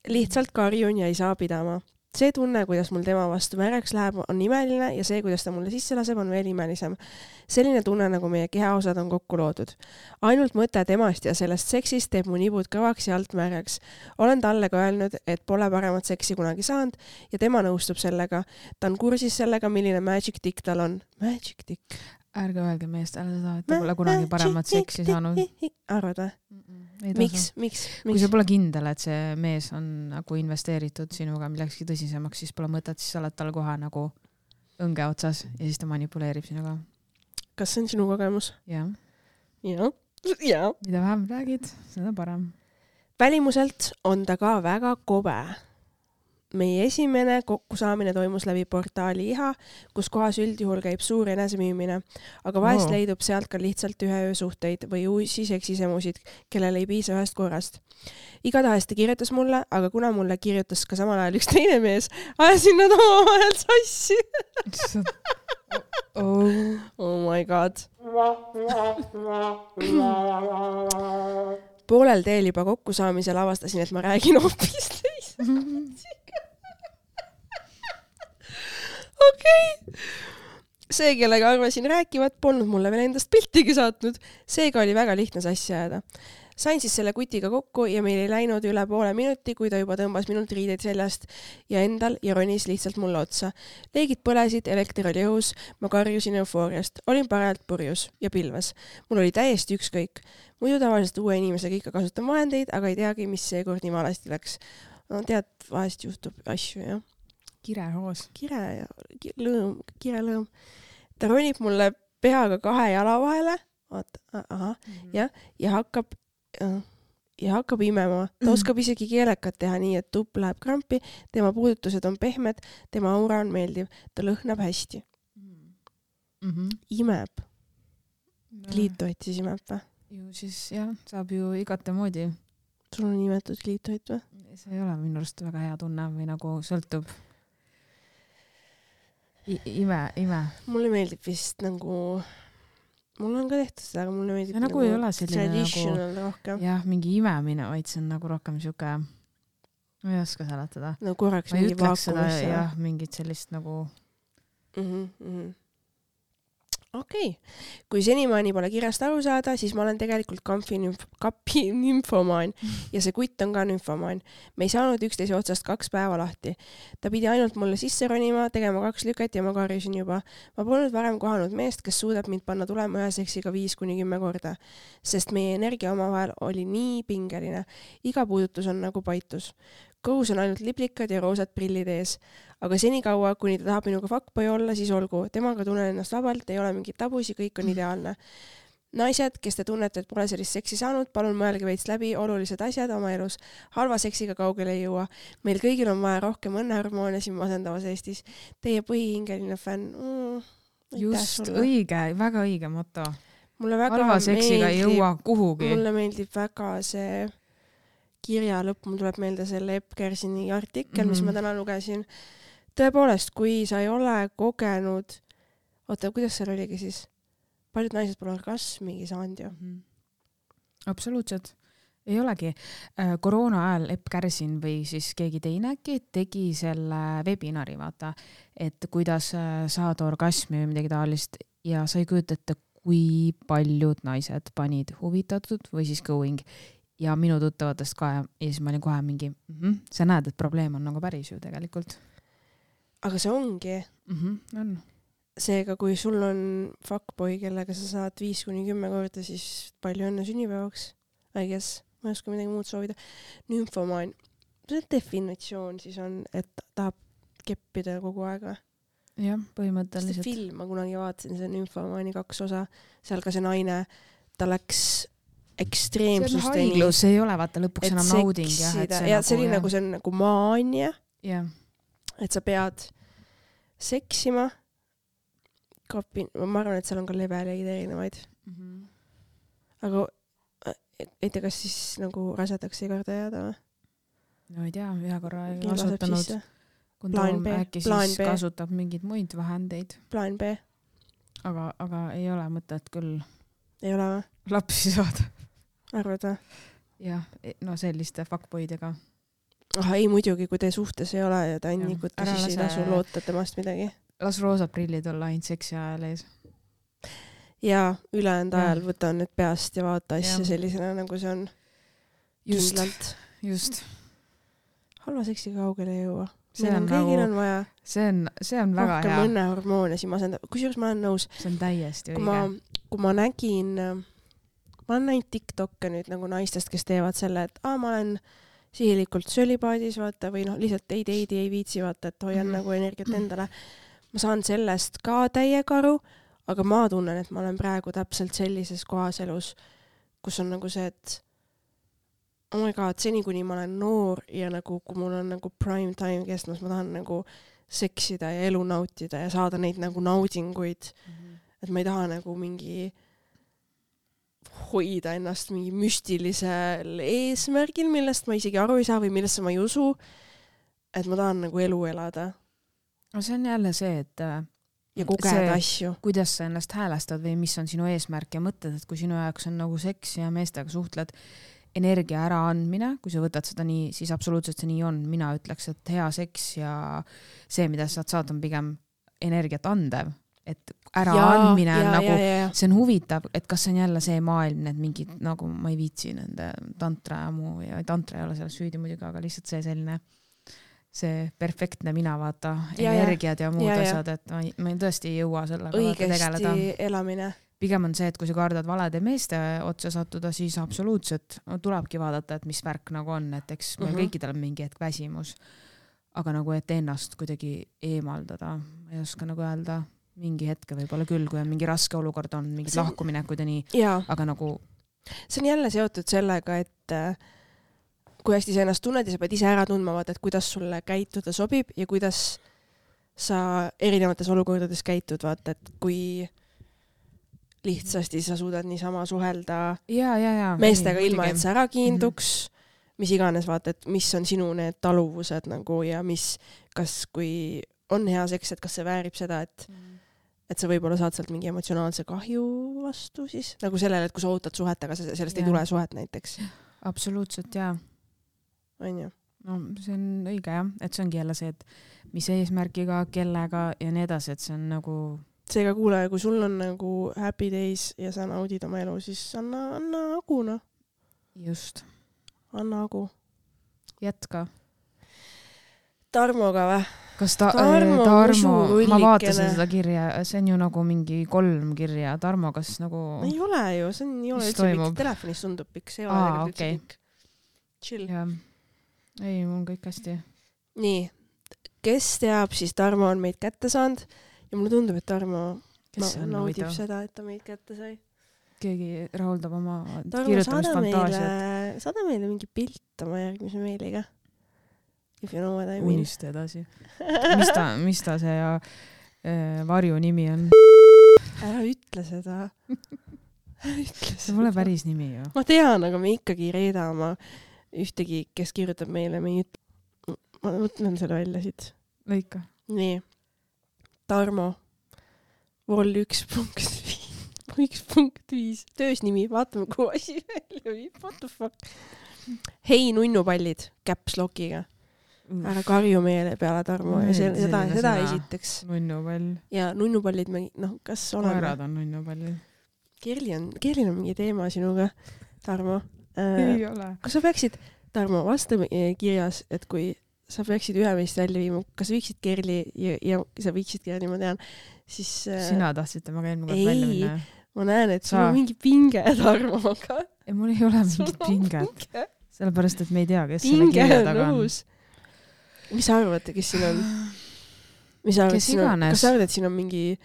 Lihtsalt karjun ja ei saa pidama. See tunne, kuidas mul tema vastu märeks läheb, on imeline ja see, kuidas ta mulle sisse laseb, on veel imelisem. Selline tunne, nagu meie kehaosad on kokku loodud. Ainult mõte temast ja sellest seksist teeb mu nibud kõvaks ja alt märjaks. Olen talle ka öelnud, et pole paremat seksi kunagi saanud ja tema nõustub sellega. Ta on kursis sellega, milline magic dick tal on. Magic dick. Ärge öelge meestele seda, et ta pole kunagi paremat seksi saanud. Arvad või? Miks? Kui sa pole kindel, et see mees on nagu investeeritud sinuga millekski tõsisemaks, siis pole mõtet, siis sa oled tal kohe nagu õnge otsas ja siis ta manipuleerib sinuga. Kas see on sinu kogemus? Jah. Ja. Mida vähem räägid, seda parem. Välimuselt on ta ka väga kobe. Meie esimene kokkusaamine toimus läbi portaali Iha, kus kohas üldjuhul käib suur enesemüümine, aga vahest leidub sealt ka lihtsalt ühe öö suhteid või uusi seksisemusid, kellel ei piisa ühest korrast. Igatahes ta kirjutas mulle, aga kuna mulle kirjutas ka samal ajal üks teine mees, ajasin nad omavahel sassi. Oh my god. Poolel teel juba kokkusaamisel avastasin, et ma räägin hoopis teise. Okei. See, kellega arvasin rääkivat, polnud mulle veel endast piltigi saatnud. Seega oli väga lihtne sassi ajada. Sain siis selle kutiga kokku ja meil ei läinud üle poole minuti, kui ta juba tõmbas minult riideid seljast ja endal ja ronis lihtsalt mulle otsa. Leegid põlesid, elekter oli õhus, ma karjusin eufooriast. Olin parajalt purjus ja pilves. Mul oli täiesti ükskõik. Muidu tavaliselt uue inimesega ikka kasutan vahendeid, aga ei teagi, mis seekord nii valesti läks. No tead, vahest juhtub asju, jah. Kirehoos. Kirelõõm. Ta ronib mulle peaga 2 jala vahele. Ja hakkab imema. Ta oskab isegi keelekat teha nii, et tupp läheb krampi. Tema puudutused on pehmed. Tema aura on meeldiv. Ta lõhnab hästi. Imeb. Kliitoit siis imeb või? Ju siis jah, saab ju igate moodi. Sul on imetud kliitoit või? See ei ole minu arust väga hea tunne või nagu sõltub. Ime. Mulle meeldib vist nagu, mul on ka tehtud seda, aga mulle meeldib nagu ei ole selline traditional nagu, rohkem. Jah, mingi imemine, vaid see on nagu rohkem siuke, ma ei oska seletada. No korraks mingi vaakumisse. Jah, mingit sellist nagu. Okei. Kui senimaani pole kirjast aru saada, siis ma olen tegelikult kapi nymfomaan ja see kutt on ka nymfomaan. Me ei saanud üksteise otsast 2 päeva lahti. Ta pidi ainult mulle sisse ronima, tegema 2 lüket ja ma karjusin juba. Ma polnud varem kohanud meest, kes suudab mind panna tulema ühe seksiga 5-10 korda, sest meie energia omavahel oli nii pingeline. Iga puudutus on nagu paitus. Kõhus on ainult liblikad ja roosad prillid ees. Aga senikaua, kuni ta tahab minuga fuckboy olla, siis olgu. Temaga tunnen ennast vabalt, ei ole mingit tabusi, kõik on ideaalne. Naised, kes te tunnete, et pole sellist seksi saanud, palun mõelge veits läbi olulised asjad oma elus. Halva seksiga kaugele ei jõua. Meil kõigil on vaja rohkem õnnehormoone siin masendavas Eestis. Teie põhihingeline fänn. Just, õige, väga õige moto. Mulle väga halva seksiga ei jõua kuhugi. Mulle meeldib väga see kirja lõpp. Mul tuleb meelde selle Epp Kersini artikkel, mis ma täna lugesin. Tõepoolest, kui sa ei ole kogenud... Oota, kuidas seal oligi siis? Paljud naised pole orgasmigi saanud ju. Absoluutselt. Ei olegi. Koroona ajal Epp Kärsin või siis keegi teinegi tegi selle webinari, vaata, et kuidas saada orgasmi või midagi taolist ja sa ei kujutate, kui paljud naised panid huvitatud või siis going ja minu tuttavatest ka ja siis ma olin kohe mingi, sa näed, et probleem on nagu päris ju tegelikult. Aga see ongi. On. Seega, kui sul on fuckboy, kellega sa saad 5-10 korda, siis palju õnne sünnipäevaks. I guess, ma ei oska midagi muud soovida. Nymfomaan. See definitsioon siis on, et tahab keppida kogu aega. Jah, põhimõtteliselt. See film, ma kunagi vaatasin, see Nymfomaani 2 osa. Seal ka see naine, ta läks ekstreemsusteni. See on haiglus, see ei ole vaata lõpuks enam nauding. Ja see oli nagu, see on nagu maania. Yeah. Et sa pead seksima. Ma arvan, et seal on ka leveleid erinevaid. Aga ei tea, kas siis nagu rasedaks ei karda jääda või? No ei tea, ühe korra ei kasutanud. Kondoom äkki siis kasutab mingeid muid vahendeid. Plaan B. Aga ei ole mõtet küll. Ei ole või? Lapsi saada. Arvad või? Jah, no selliste fuckboydega. Ei muidugi, kui te suhtes ei ole ja ta on nikuta, siis ei tasu loota temast midagi. Las roosad prillid olla ainult seksi ajal ees. Ja ülejäänud ajal võta need peast ja vaata asja sellisena, nagu see on kindlalt. Just. Halva seksiga kaugele ei jõua. Kõigil on vaja. See on väga hea. Rohkem õnnehormoone siin masendab. Kusjuures ma olen nõus. See on täiesti õige. Kui ma nägin, ma olen näinud TikTokke nüüd nagu naistest, kes teevad selle, et ma olen sihilikult sölipaadis, vaata, või lihtsalt ei viitsi, vaata, et hoian nagu energiat endale. Ma saan sellest ka täiega aru, aga ma tunnen, et ma olen praegu täpselt sellises kohas elus, kus on nagu see, et oh my god, seni kuni ma olen noor ja nagu, kui mul on nagu prime time kestmas, ma tahan nagu seksida ja elu nautida ja saada neid nagu naudinguid. Et ma ei taha nagu mingi hoida ennast mingi müstilisel eesmärgil, millest ma isegi aru ei saa või millest ma ei usu. Et ma tahan nagu elu elada. No see on jälle see, et ja kogeda asju. Kuidas sa ennast häälestad või mis on sinu eesmärk ja mõtled, et kui sinu jaoks on nagu seks ja meestega suhtled energia ära andmine, kui sa võtad seda nii, siis absoluutselt see nii on. Mina ütleks, et hea seks ja see, mida sa saad, on pigem energiat andev. Et ära andmine on nagu, see on huvitav, et kas see on jälle see maailm, need mingid, nagu ma ei viitsi nende tantra ja muu, ja tantra ei ole selles süüdi muidugi, aga lihtsalt see selline see perfektne mina vaata, energiad ja muud asjad, et ma tõesti ei jõua sellega tegeleda. Õigesti elamine. Pigem on see, et kui sa kardad valede meeste otsa sattuda, siis absoluutselt tulebki vaadata, et mis värk nagu on, et eks meil kõikidel on mingi hetk väsimus. Aga nagu, et ennast kuidagi eemaldada, ei oska nagu öelda, mingi hetke võib-olla küll, kui on mingi raske olukord on, mingid lahkuminekud ja nii, aga nagu... See on jälle seotud sellega, et kui hästi sa ennast tunned ja sa pead ise ära tundma, vaata, et kuidas sulle käituda sobib ja kuidas sa erinevates olukordades käitud, vaata, et kui lihtsasti sa suudad niisama suhelda meestega ilma, et sa ära kiinduks, mis iganes, vaata, et mis on sinu need taluvused nagu ja kas kui on hea seks, et kas see väärib seda, et sa võib-olla saad sealt mingi emotsionaalse kahju vastu siis, nagu sellele, et kui sa ootad suhet, aga sellest ei tule suhet näiteks. Absoluutselt, jaa. On ju? No see on õige jah, et see ongi jälle see, et mis eesmärgiga, kellega ja nii edasi, et see on nagu... Seega kuule, kui sul on nagu happy days ja sa naudid oma elu, siis anna agu, noh. Just. Anna agu. Jätka. Tarmoga või? Kas Tarmo, ma vaatasin seda kirja, see on ju nagu mingi 3 kirja. Tarmo, kas nagu... Ei ole ju, see ei ole üldse pikk. Telefonis tundub pikk, see ei ole tegelikult üldse pikk. Chill. Ja. Ei, mul on kõik hästi. Nii, kes teab, siis Tarmo on meid kätte saanud ja mulle tundub, et Tarmo naudib seda, et ta meid kätte sai. keegi rahuldab oma Tarmo, kirjutamisfantaasiat. saada meile mingi pilt oma järgmise meiliga. If you know what I mean. Unista edasi. mis ta see varju nimi on? Ära ütle seda. See pole päris nimi ju. Ma tean, aga me ikkagi ei reeda oma ühtegi, kes kirjutab meile. Ma mõtlen selle välja siit. Lõika. Nii. Tarmo. Vol 1.5. Töösnimi. Vaatame, kuhu asi välja viib. What the fuck? Hei, nunnupallid. Caps lockiga. Ära karju meele peale, Tarmo. Ja seda esiteks. Nunnupall. Ja nunnupallid, kas oleme? Koerad on nunnupallid. Kerli on mingi teema sinuga, Tarmo. Ei ole. Kas sa peaksid, Tarmo, vasta kirjas, et kui sa peaksid ühe meist välja viima, kas viiksid Kerli ja sa viiksid Kerli, ma tean, siis... Sina tahtsid temaga eelmine kord välja minna? Ma näen, et sul on mingi pinge, Tarmo, aga... Ei, mul ei ole mingit pinget. Sellepärast, et me ei tea, kes selle kirja taga on. Mis sa arvad, kes siin on? Kes iganes? Kas sa arvad, et siin on mingi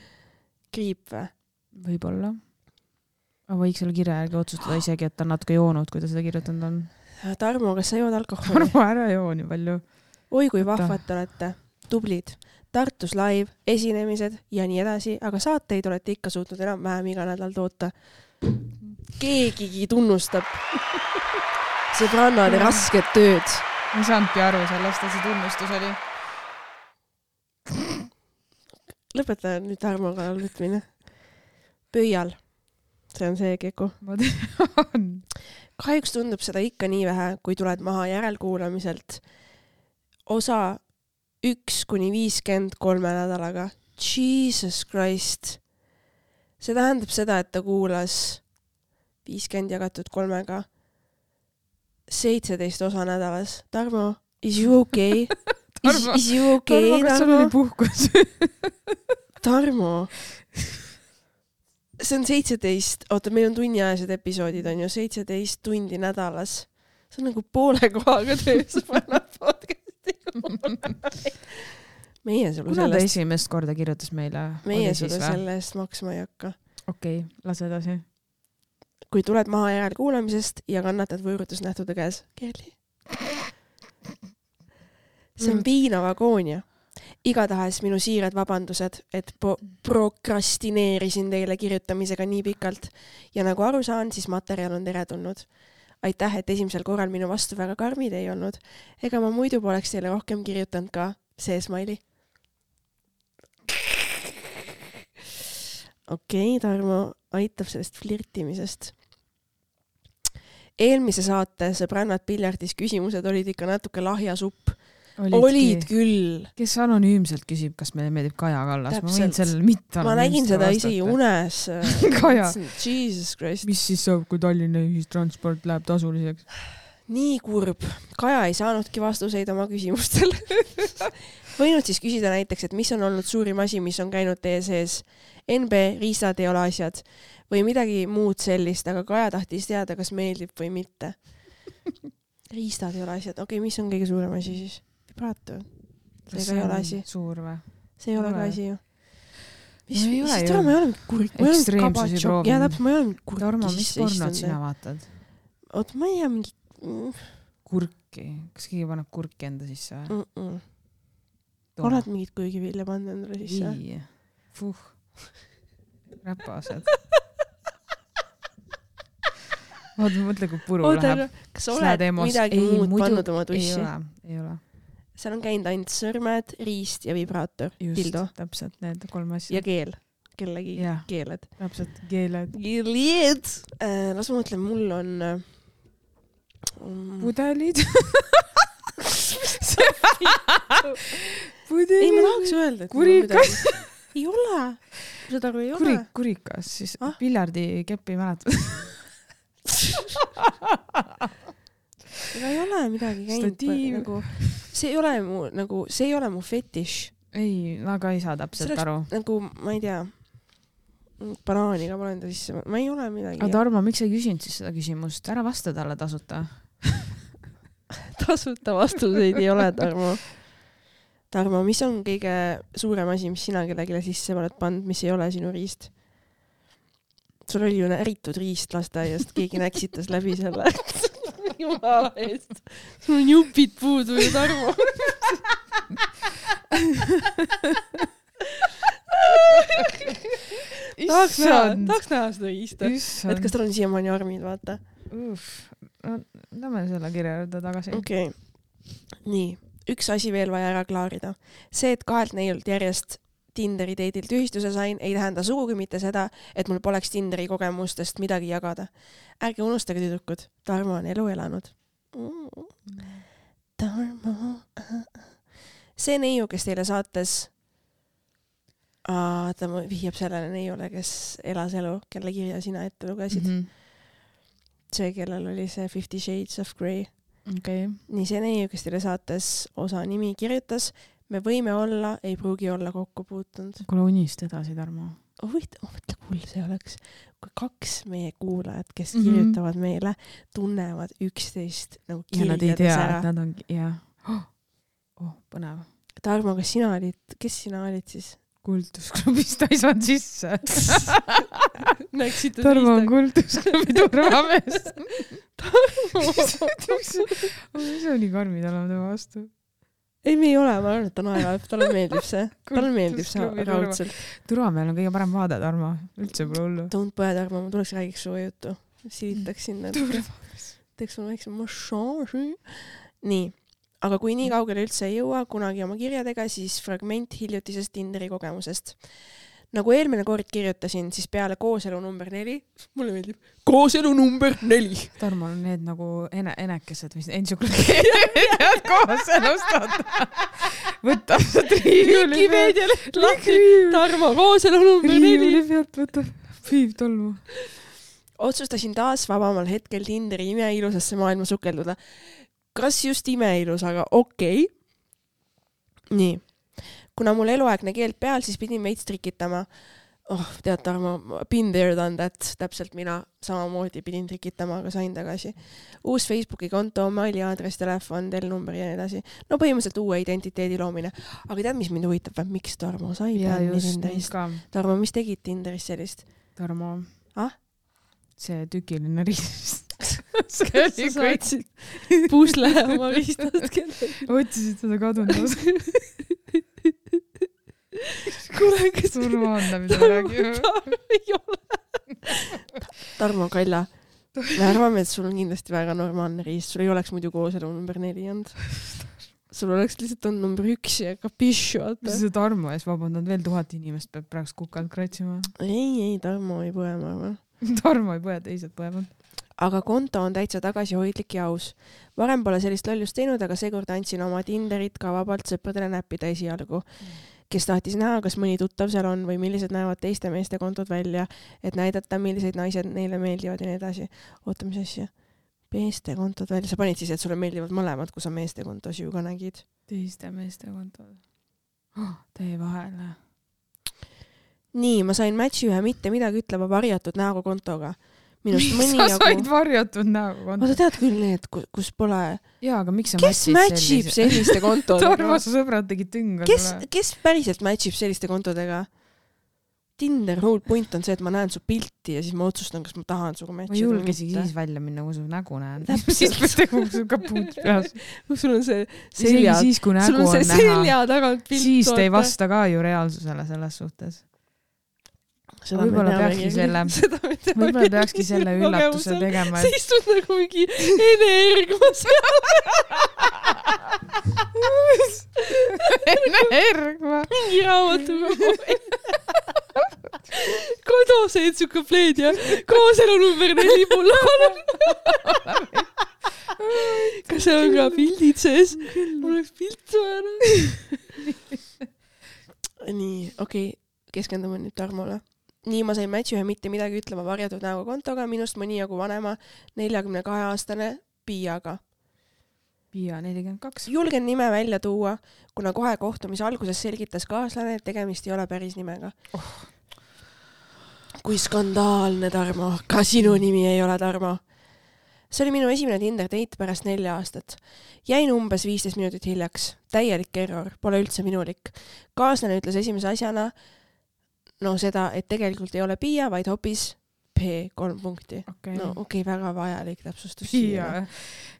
kriip või? Võib-olla. Ma võiks selle kirja järgi otsustada isegi, et ta on natuke joonud, kui ta seda kirjutanud on. Tarmo, kas sa jood alkoholi? Tarmo, ära joo nii palju. Oi, kui vahvad olete. Tublid. Tartus live, esinemised ja nii edasi, aga saateid olete ikka suutnud enam-vähem iga nädal toota. Keegigi tunnustab sõbrannade rasket tööd. Ma ei saanudki aru sellest, et see tunnustus oli. Lõpeta nüüd Tarmo kallal võtmine. Pöial. See on see keku. Ma tean. Kahjuks tundub seda ikka nii vähe, kui tuled maha järelkuulamiselt. Osa 1-53 nädalaga. Jesus Christ. See tähendab seda, et ta kuulas 50 jagatud 3-ga 17 osa nädalas. Tarmo, is you okay? Is you okay, Tarmo? Kas sul oli puhkus? Tarmo. See on 17, meil on tunniajased episoodid, on ju 17 tundi nädalas. See on nagu poole kohaga töös panna podcasti. Meie sulle Kuna ta esimest korda kirjutas meile? Meie sulle selle eest maksma ei hakka. Okei, lase edasi. Kui tuled maha järelkuulamisest ja kannatad võõrutusnähtude käes. Kerli. See on piinav agoonia. Igatahes minu siirad vabandused, et prokrastineerisin teile kirjutamisega nii pikalt ja nagu aru saan, siis materjal on teretulnud. Aitäh, et esimesel korral minu vastu väga karmid ei olnud. Ega ma muidu poleks teile rohkem kirjutanud ka see smiley. Okei, Tarmo aitab sellest flirtimisest. Eelmise saate sõbrannad piljardis küsimused olid ikka natuke lahja supp. Olid küll. Kes anonüümselt küsib, kas meile meeldib Kaja Kallas? Täpselt. Ma võin sellele mitte ma nägin seda isegi unes. Kaja. Jesus Christ. Mis siis saab, kui Tallinna ühistransport läheb tasuliseks? Nii kurb. Kaja ei saanudki vastuseid oma küsimustele. Võinud siis küsida näiteks, et mis on olnud suurim asi, mis on käinud teie sees. NB, riistad ei ole asjad. Või midagi muud sellist, aga Kaja tahtis teada, kas meeldib või mitte. Riistad ei ole asjad. Okei, mis on kõige suurem asi siis? Vibrato. See ei ole asi. Suur või? See ei ole ka asi ju. Ei ole ju. Ma ei ole mingi kurk. Ekstreemsusi proovin. Ja täpselt, ma ei ole mingi kurki. Tarmo, mis pornod sina vaatad? Oot, ma ei tea mingi... Kurki. Kas keegi paneb kurki enda sisse või? Oled mingit kuigivilja pannud endale sisse? Vii. Fuh. Räpased. Mõtle, kui puru läheb. Kas oled midagi muud pannud oma tussi? Ei ole. Seal on käinud ainult sõrmed, riist ja vibraator. Just, Dildo. Täpselt need 3 asja. Ja keel. Kellegi keeled. Täpselt, keeled. Keeled! Las ma mõtlen, mul on... Pudelid. Pudelid. Ei, ma tahaks öelda, et... Kurikas. Ei ole. Seda aru ei ole. Kurikas, siis piljardi keppi mäletad. Ega ei ole midagi käinud. Nagu, see ei ole mu fetiš. Ei, aga ei saa täpselt aru. Nagu, ma ei tea, banaaniga panen ta sisse. Ma ei ole midagi. Aga Tarmo, miks sa ei küsinud siis seda küsimust? Ära vasta talle tasuta. Tasuta vastuseid ei ole, Tarmo. Tarmo, mis on kõige suurem asi, mis sina kellegile sisse oled pannud, mis ei ole sinu riist? sul oli ju näritud riist lasteaiast, keegi näksitas läbi selle. Jumala eest. Sul on jupid puudu ju, Tarmo. Tahaks näha seda riista. Et kas tal on siiamaani armid, vaata. Lähme selle kirja juurde tagasi. Okei. Nii, üks asi veel vaja ära klaarida. See, et 2 neiult järjest Tinderi date'ilt ühistuse sain, ei tähenda sugugi mitte seda, et mul poleks Tinderi kogemustest midagi jagada. Ärge unustage, tüdrukud, Tarmo on elu elanud. Tarmo. See neiu, kes teile saates ta vihjab sellele neiule, kes elas elu, kelle kirja sina ette lugesid. See, kellel oli see 50 Shades of Grey. Okay. Nii see neiu, kes teile saates osa nimi kirjutas, me võime olla, ei pruugi olla kokku puutunud. Kuule unist edasi, Tarmo. Mõtle, kuul see oleks, kui 2 meie kuulajad, kes kirjutavad meile, tunnevad üksteist nagu kirjades ära. Ja nad ei tea, et nad on, jah. Põnev. Tarmo, kes sina olid siis? Kultusklubist ta ei saanud sisse. Tarmo on kultusklubi turvamees. Tarmo! Mis on nii karmid olema tema vastu? Ei, me ei ole, ma arvan, et ta naerab. Talle meeldib see. Talle meeldib see raudselt. Turvamehel on kõige parem vaade, Tarmo. Üldse pole hullu. Don't põe, Tarmo, ma tuleks räägiks suve juttu. Silitaks sinna. Teeks mulle väiksem massaaži. Nii. Aga kui nii kaugele üldse ei jõua kunagi oma kirjadega, siis fragment hiljutisest Tinderi kogemusest. Nagu eelmine kord kirjutasin, siis peale kooselu number 4, mulle meeldib, kooselu number 4. Tarmo on need nagu enekesed, mis entsüklopeediad kooselustad. Võtab sa triivuli pealt. Tarmo, kooselu number 4. Triivuli pealt võtab piib tolmu. Otsustasin taas vabamal hetkel Tinderi imeilusasse maailma sukelduda. Kas just imeilus, aga okei. Nii. Kuna mul eluaegne keeld peal, siis pidin veits trikitama. Tead, Tarmo, been there done that. Täpselt mina samamoodi pidin trikitama, aga sain tagasi. Uus Facebooki konto, maili aadress, telefon, telnumber ja nii edasi. No põhimõtteliselt uue identiteedi loomine. Aga tead, mis mind huvitab? Miks Tarmo sai Tinderist? Tarmo, mis tegid Tinderist sellist? Tarmo. See tükiline riist. Sa saatsid pusle oma riistast kellegi. Otsisid seda kadunud. Kuule, kes surmaanda, mida räägime. Ei ole. Tarmo Kalla, me arvame, et sul on kindlasti väga normaalne riist. Sul ei oleks muidu kooselu number 4 olnud. Sul oleks lihtsalt on number 1 ja kapišu. Mis see Tarmo ees vabandanud? Veel 1000 inimest peab praegu kukalt kratsima. Ei, Tarmo ei põe, ma arvan. Tarmo ei põe, teised põevad. Aga konto on täitsa tagasihoidlik ja aus. Varem pole sellist lollust teinud, aga seekord andsin oma Tinderit ka vabalt sõpradele näppida esialgu, kes tahtis näha, kas mõni tuttav seal on või millised näevad teiste meeste kontod välja, et näidata, millised naised neile meeldivad ja nii edasi. Oota, mis asja? Meeste kontod välja. Sa panid siis, et sulle meeldivad mõlemad, kui sa meeste kontos ju ka nägid. Teiste meeste kontod. Tee vahele. Nii, ma sain matchi ühe mitte midagi ütleva varjatud näoga kontoga. Minust mõni sa said varjatud näoga kontoga? Sa tead küll need, kus pole... Jaa, aga miks sa matchib selliste kontodega? Tarmo, su sõbrad tegid tünga. Kes päriselt matchib selliste kontodega? Tinder whole point on see, et ma näen su pilti ja siis ma otsustan, kas ma tahan suga matchida. Ma julgesigi siis välja minna, kui su nägu näen. Siis teguks su kapuut peas. Sul on see selja... Siis, kui nägu on näha. Selja tagant pilt. Siis te ei vasta ka ju reaalsusele selles suhtes. Võib-olla peakski selle üllatuse tegema. See istud nagu mingi Ene Ergmas. Ene Ergma. Mingi raamatuga. Kodose entsüklopeedia. Kooselu number 4 mulle olen. Kas seal on ka pildid sees? Mul oleks pilt vaja. Nii, okei. Keskendume nüüd Tarmole. Nii ma sain matchi ühe mitte midagi ütlema varjatud näoga kontoga, minust mõni jagu vanema 42-aastane Piiaga. Piia 42. Julgen nime välja tuua, kuna kohe kohtumise alguses selgitas kaaslane, et tegemist ei ole päris nimega. Kui skandaalne, Tarmo. Ka sinu nimi ei ole Tarmo. See oli minu esimene Tinder date pärast 4 aastat. Jäin umbes 15 minutit hiljaks. Täielik error. Pole üldse minulik. Kaaslane ütles esimese asjana seda, et tegelikult ei ole Piia, vaid hoopis P3 punkti. Okay. No väga vajalik täpsustus siia.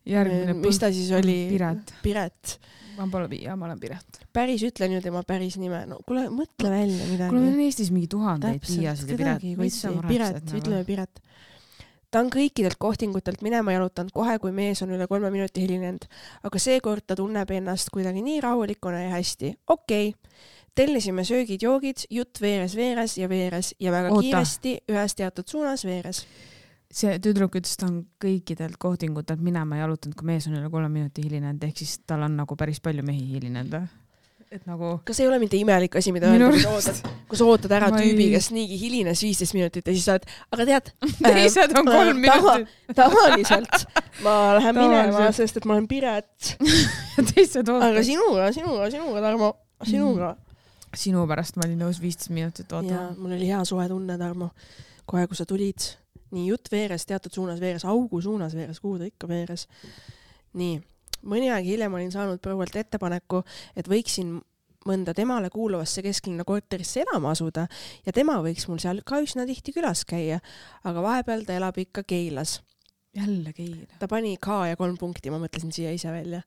Järgmine mis ta siis oli? Piret. Ma pole Piia, ma olen Piret. Päris ütlen ju tema päris nime. No kuule, mõtle välja midagi. Kuule, on Eestis mingi tuhandeid Piiasid ja Piret. Piret, ütleme Piret. Ta on kõikidelt kohtingutelt minema jalutanud kohe, kui mees on üle 3 minuti hilinenud. Aga seekord ta tunneb ennast kuidagi nii rahulikuna ja hästi. Tellisime söögid-joogid, jutt veeres ja väga kiiresti ühes teatud suunas veeres. See tüdruk ütles, ta on kõikidelt kohtingutelt minema jalutanud, kui mees on üle 3 minuti hilinenud, ehk siis tal on nagu päris palju mehi hilinenud. Et nagu... Kas ei ole mitte imelik asi, mida öelda, kui sa ootad ära tüübi, kes niigi hilines 15 minutit ja siis saad, aga tead... Teised on 3 minutit. Tavaliselt ma lähen minema, sest et ma olen Piret. Aga sinuga, Tarmo, sinuga. Sinu pärast ma olin nõus 15 minutit ootama. Ja mul oli hea suhe tunne, Tarmo. Kohe, kui sa tulid, nii jutt veeres, teatud suunas veeres, augu suunas veeres, kuhu ta ikka veeres. Nii, mõni aeg hiljem olin saanud proualt ettepaneku, et võiksin mõnda temale kuuluvasse kesklinna korterisse elama asuda ja tema võiks mul seal ka üsna tihti külas käia, aga vahepeal ta elab ikka Keilas. Jälle Keila. Ta pani K ja 3 punkti, ma mõtlesin siia ise välja.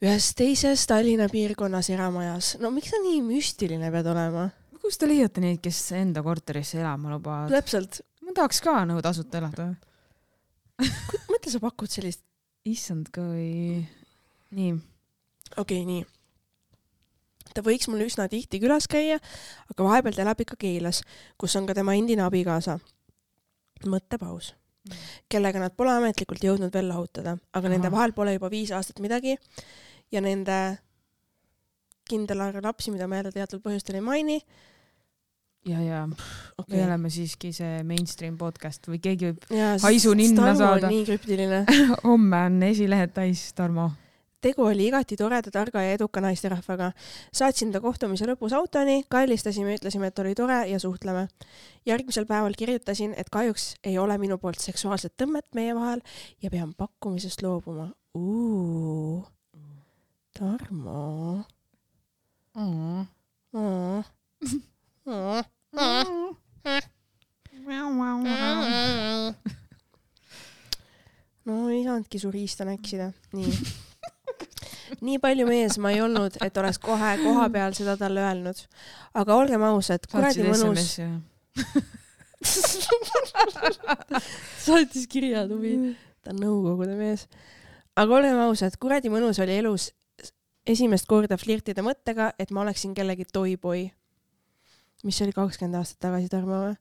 Ühes teises Tallinna piirkonnas eramajas. No miks ta nii müstiline pead olema? Kus te leiate neid, kes enda korterisse elama lubavad? Täpselt. Ma tahaks ka nõu tasuta elada. Mõtle, sa pakud sellist... Issand ka või... Nii. Nii. Ta võiks mul üsna tihti külas käia, aga vahepeal ta elab ikka Keilas, kus on ka tema endine abikaasa. Mõttepaus. Kellega nad pole ametlikult jõudnud veel lahutada, aga nende vahel pole juba 5 aastat midagi ja nende kindel arv lapsi, mida ma jälle teatud põhjustel ei maini. Ja. Me oleme siiski see mainstream podcast või keegi võib haisu ninna saada. Nii krüptiline. Homme on esilehed täis, Tarmo. Tegu oli igati toreda, targa ja eduka naisterahvaga. Saatsin ta kohtumise lõpus autoni, kallistasime, ütlesime, et oli tore ja suhtleme. Järgmisel päeval kirjutasin, et kahjuks ei ole minu poolt seksuaalset tõmmet meie vahel ja pean pakkumisest loobuma. Tarmo. No ei saanudki su riista näksida. Nii palju mees ma ei olnud, et oleks kohe koha peal seda talle öelnud. Aga olgem ausad, kuradi mõnus... Saatis kirja tuvi. Ta on nõukogude mees. Aga olgem ausad, kuradi mõnus oli elus esimest korda flirtida mõttega, et ma oleksin kellegi toyboi. Mis oli 20 aastat tagasi, Tarmo?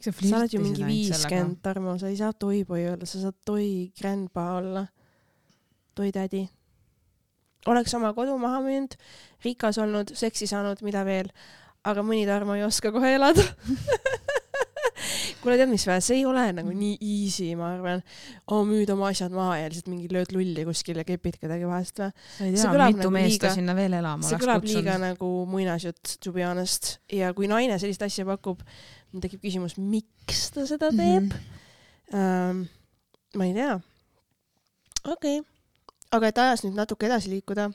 Sa oled ju mingi 50, Tarmo. Sa ei saa toyboi olla, sa saad toi grandpa olla. Toi tädi. Oleks oma kodu maha müünud, rikas olnud, seksi saanud, mida veel. Aga mõni Tarmo ei oska kohe elada. Kuule, tead mis vä? See ei ole nagu nii easy, ma arvan. Müüd oma asjad maha ja lihtsalt mingi lööd lulli kuskil ja kepid kedagi vahest. Sa ei tea, mitu meest ta sinna veel elama see kõlab liiga nagu muinasjutt, to be honest. Ja kui naine sellist asja pakub, tekib küsimus, miks ta seda teeb? Ma ei tea. Okei. Aga et ajas nüüd natuke edasi liikuda.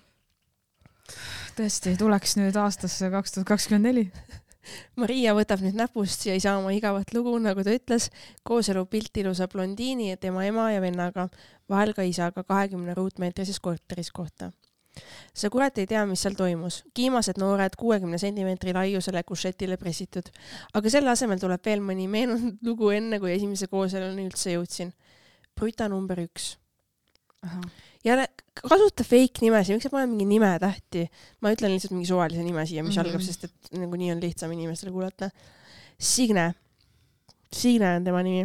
Tõesti, tuleks nüüd aastasse 2024. Maria võtab nüüd näpust ja ei saa oma igavat lugu, nagu ta ütles, kooselu pilt ilusa blondiini ja tema ema ja vennaga, vahel ka isaga 20 ruutmeetrises korteris kohta. See kurat ei tea, mis seal toimus. Kiimased noored 60 centimeetri laiusele kušetile pressitud. Aga selle asemel tuleb veel mõni meenunud lugu enne, kui esimese kooseluni üldse jõudsin. Bruta number 1. Ja kasuta fake nimesi, miks sa pane mingi nime tähti? Ma ütlen lihtsalt mingi suvalise nime siia, mis algab, sest et nagu nii on lihtsam inimestele kuulata. Signe. Signe on tema nimi.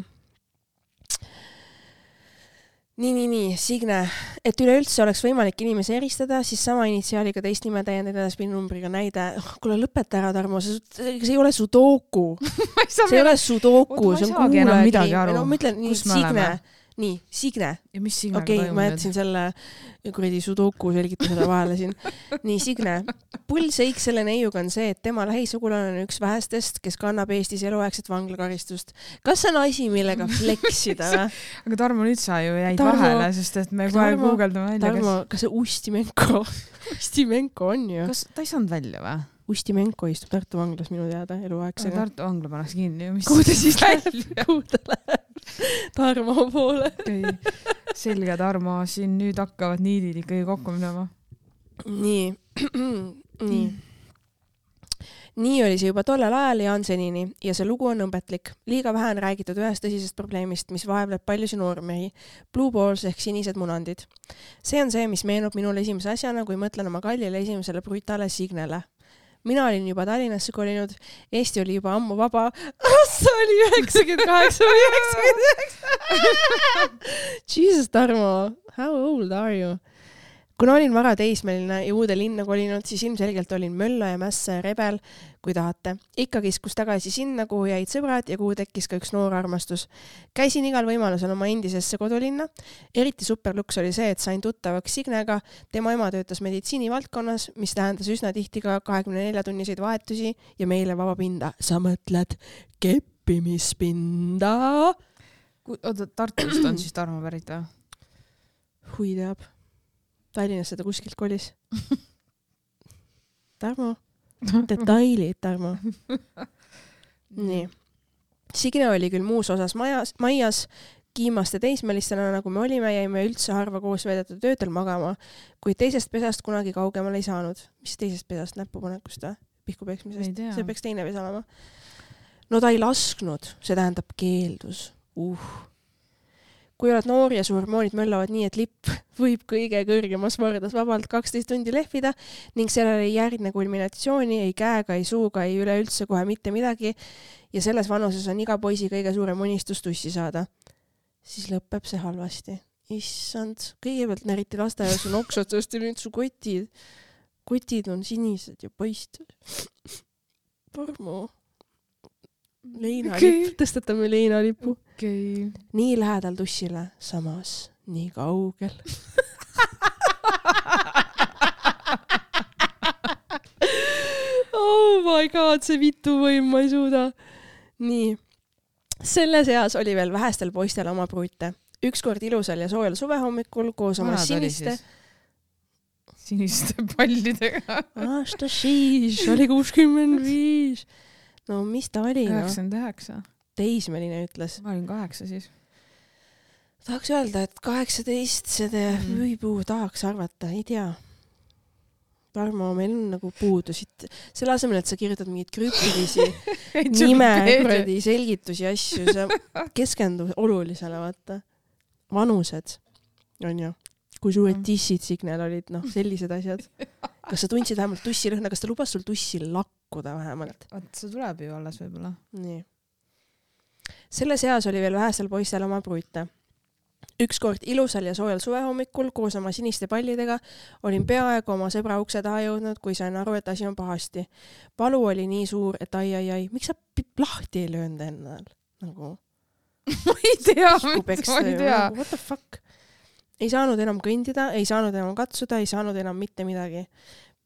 Nii, Signe. Et üleüldse oleks võimalik inimese eristada, siis sama initsiaaliga teist nime täiendada edaspidi numbriga näide. Kuule, lõpeta ära, Tarmo. See ei ole sudoku. See ei ole sudoku. Ma ei saagi enam midagi aru. Ma ütlen nii, Signe. Nii, Signe. Ja mis Signe toimub? Ma jätsin selle kuradi sudoku selgitusele vahele siin. Nii, Signe. Pull seik selle neiuga on see, et tema lähisugulane on üks vähestest, kes kannab Eestis eluaegset vanglakaristust. Kas see on asi, millega fleksida? Aga Tarmo, nüüd sa ju jäid vahele, sest et me kohe guugeldame välja. Tarmo, kas see Ustimenko on ju? Kas ta ei saanud välja või? Ustimenko istub Tartu vanglas minu teada eluaegsega. Tartu vangla pannakse kinni. Kuhu ta siis läheb? Kuhu ta läheb? Tarmo poole. Selge Tarmo, siin nüüd hakkavad niidid ikkagi kokku minema. Nii. Nii oli see juba tollel ajal Jansenini ja see lugu on õmbetlik. Liiga vähe on räägitud ühest tõsisest probleemist, mis vaevleb paljusi noormehi. Blue balls ehk sinised munandid. See on see, mis meenub minule esimese asjana, kui mõtlen oma kallile esimesele brutale Signele. Mina olin juba Tallinnasse kolinud, Eesti oli juba ammu vaba. See oli 98 või 99. Jesus, Tarmo, how old are you? Kuna olin vara teismeline ja uude linna kolinud, siis ilmselgelt olin mölla ja mässa ja rebel, kui tahate. Ikka kiskus tagasi sinna, kuhu jäid sõbrad ja kuhu tekkis ka üks noor armastus. Käisin igal võimalusel oma endisesse kodulinna. Eriti superluks oli see, et sain tuttavaks Signega. Tema ema töötas meditsiinivaldkonnas, mis tähendas üsna tihti ka 24-tunniseid vahetusi ja meile vaba pinda. Sa mõtled keppimispinda? Oota, Tartust on siis Tarmo pärit või? Hui teab. Tallinnasse ta kuskilt kolis. Tarmo. Detailid, Tarmo. Nii. Signe oli küll muus osas maias, kiimaste teismelistena, nagu me olime, jäime üldse harva koos veedetud öödel magama, kuid teisest pesast kunagi kaugemale ei saanud. Mis teisest pesast? Näpupanekust või? Pihkupeksmisest? See peaks teine pesa olema. No ta ei lasknud, see tähendab keeldus. Kui oled noor ja su hormoonid möllavad nii, et lipp võib kõige kõrgemas vardas vabalt 12 tundi lehvida ning sellele ei järgne kulminatsiooni, ei käega, ei suuga, ei üleüldse kohe mitte midagi ja selles vanuses on iga poisi kõige suurem unistus tussi saada, siis lõpeb see halvasti. Issand, kõigepealt näriti lasteaias on oksatsast ja nüüd su kotid on sinised ja paistvad. Tarmo. Leinalipp, tõstatame leinalippu. Okay. Nii lähedal tussile, samas nii kaugel. Oh my god, see vitu võim, ma ei suuda. Nii. Selle seas oli veel vähestel poistel oma pruute. Ükskord ilusal ja soojal suvehommikul koos oma siniste pallidega. Aasta siis oli 65. No mis ta oli? 99. Teismeline ütles. Ma olin 8 siis. Tahaks öelda, et 18 seda võipuu tahaks arvata, ei tea. Tarmo, meil on nagu puudusid. Selle asemel, et sa kirjutad mingid krüptilisi nime, selgitusi, asju, sa keskendu olulisele, vaata. Vanused, on ju. Kui suured tissid Signel olid, sellised asjad. Kas sa tundsid vähemalt tussirõhna, kas ta lubas sul tussi lakkuda vähemalt? See tuleb ju alles võib-olla. Nii. Selle seas oli veel vähesel poistel oma pruute. Ükskord ilusal ja soojal suvehommikul koos oma siniste pallidega olin peaaegu oma sõbra ukse taha jõudnud, kui sain aru, et asi on pahasti. Palu oli nii suur, et ai, miks sa lahti ei löönud ennal? Nagu... ma ei tea. What the fuck? Ei saanud enam kõndida, ei saanud enam katsuda, ei saanud enam mitte midagi.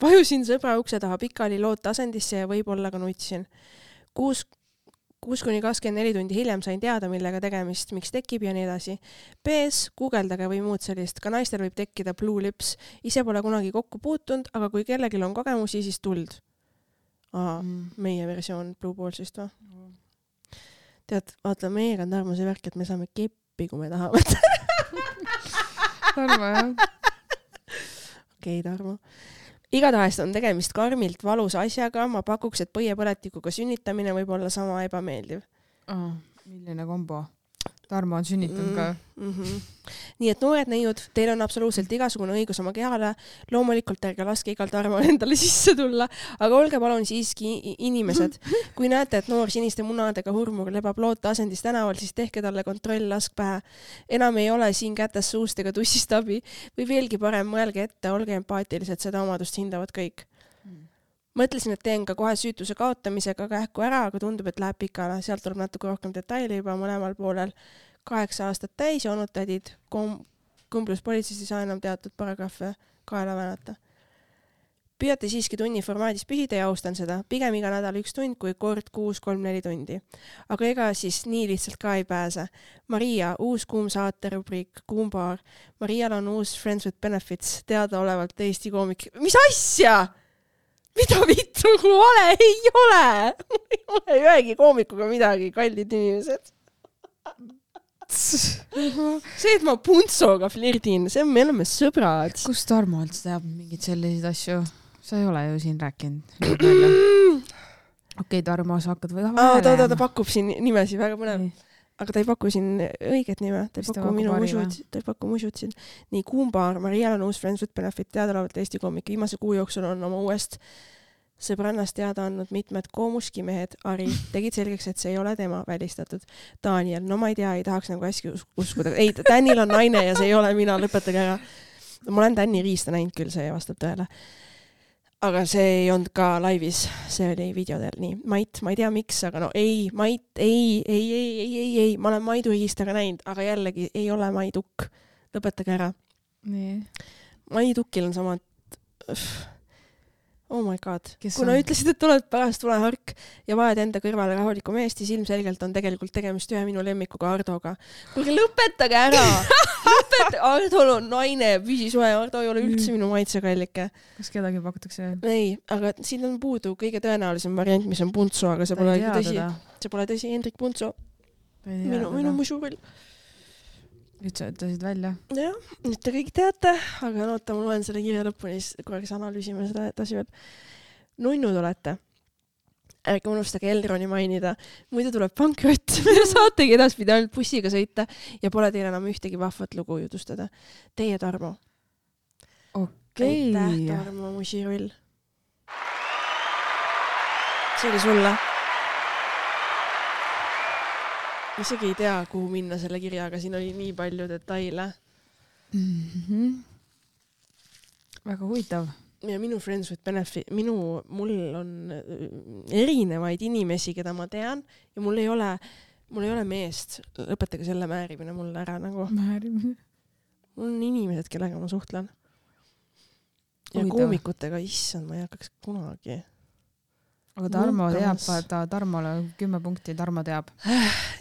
Vajusin sõbra ukse taha pikali loota asendisse ja võib-olla ka nutsin. 6-24 tundi hiljem sain teada, millega tegemist, miks tekib ja nii edasi. PS, guugeldage või muud sellist. Ka naistel võib tekkida blue lips. Ise pole kunagi kokku puutunud, aga kui kellelgi on kogemusi, siis tuld. Meie versioon blue ballsist või? Tead, vaata, meiega on Tarmo see värk, et me saame keppi, kui me tahame. Tarmo, jah. Okei, Tarmo. Igatahes on tegemist karmilt valusa asjaga. Ma pakuks, et põiepõletikuga sünnitamine võib olla sama ebameeldiv. Milline kombo? Tarmo on sünnitanud ka. Nii et noored neiud, teil on absoluutselt igasugune õigus oma kehale. Loomulikult ärge laske igal Tarmo endale sisse tulla, aga olge palun siiski inimesed. Kui näete, et noor siniste munadega hurmur lebab loota asendis tänaval, siis tehke talle kontroll, lask pähe. Enam ei ole siin kätes suust ega tussist abi. Või veelgi parem, mõelge ette, olge empaatilised, seda omadust hindavad kõik. Mõtlesin, et teen ka kohe süütuse kaotamisega kähku ära, aga tundub, et läheb pikale. Sealt tuleb natuke rohkem detaili juba mõlemal poolel. 8 aastat täis ja olnud tädid. Kumblus politseis ei saa enam teatud paragrahve kaela väänata. Püüate siiski tunni formaadis püsida ja austan seda. Pigem iga nädal 1 tund kui kord 6-3-4 tundi. Aga ega siis nii lihtsalt ka ei pääse. Maria, uus kuum saate rubriik, kuumbaar. Marial on uus Friends with Benefits, teada olevalt Eesti koomik. Mis asja? mida vittu, kui vale ei ole. Ei ole ühegi koomikuga midagi, kallid inimesed. See, et ma Puntsoga flirdin, see on, me oleme sõbrad. Kus Tarmo üldse teab mingid selliseid asju? Sa ei ole ju siin rääkinud. Okei, Tarmo, sa hakkad või ta pakub siin nimesi, väga põnev. Aga ta ei paku siin õiget nime. Ta ei paku musud siin. Nii, Kuumbaar, Marial on uus Friends with Benefit, teadaolevalt Eesti koomik. Viimase kuu jooksul on oma uuest sõbrannast teada andnud mitmed koomuskimehed. Ari tegid selgeks, et see ei ole tema välistatud. Daniel, no ma ei tea, ei tahaks nagu hästi uskuda. Ei, Danil on naine ja see ei ole mina, lõpetage ära. Ma olen Dani Riista näinud küll, see vastab tõele. Aga see ei olnud ka laivis, see oli videodel. Nii, Mait, ma ei tea miks, aga no ei, Mait, ei, ma olen Maidu Riistaga näinud, aga jällegi ei ole Maidukk. Lõpetage ära. Nii. Maidukil on samad... Oh my god. Kuna ütlesid, et oled pärast tulehark ja vaed enda kõrvale rahuliku meest, siis ilmselgelt on tegelikult tegemist ühe minu lemmikuga Ardoga. Kuulge, lõpetage ära! Ardol on naine, püsisoe, Ardo ei ole üldse minu maitsekallike. Kas kedagi pakutakse? Ei, aga siin on puudu kõige tõenäolisem variant, mis on Puntso, aga see pole tõsi. See pole tõsi, Hendrik Puntso. Minu musurull. Nüüd sa ütlesid välja. Jah, nüüd te kõik teate, aga oota, ma loen selle kirja lõpuni, siis korraks analüüsime seda edasi veel. Nunnud olete. Ärge unustage Elroni mainida. Muidu tuleb pankrott ja saategi edaspidi ainult bussiga sõita ja pole teil enam ühtegi vahvat lugu jutustada. Teie, Tarmo. Okei. Aitäh, Tarmo, musirull. See oli sulle. Isegi ei tea, kuhu minna selle kirjaga. Siin oli nii palju detaile. Väga huvitav. Ja minu Friends with Benefit, mul on erinevaid inimesi, keda ma tean ja mul ei ole meest. Lõpetage selle määrimine mulle ära nagu. Määrimine? Mul on inimesed, kellega ma suhtlen. Ja koomikutega, issand, ma ei hakkaks kunagi. Aga Tarmo teab, Tarmole 10 punkti, Tarmo teab.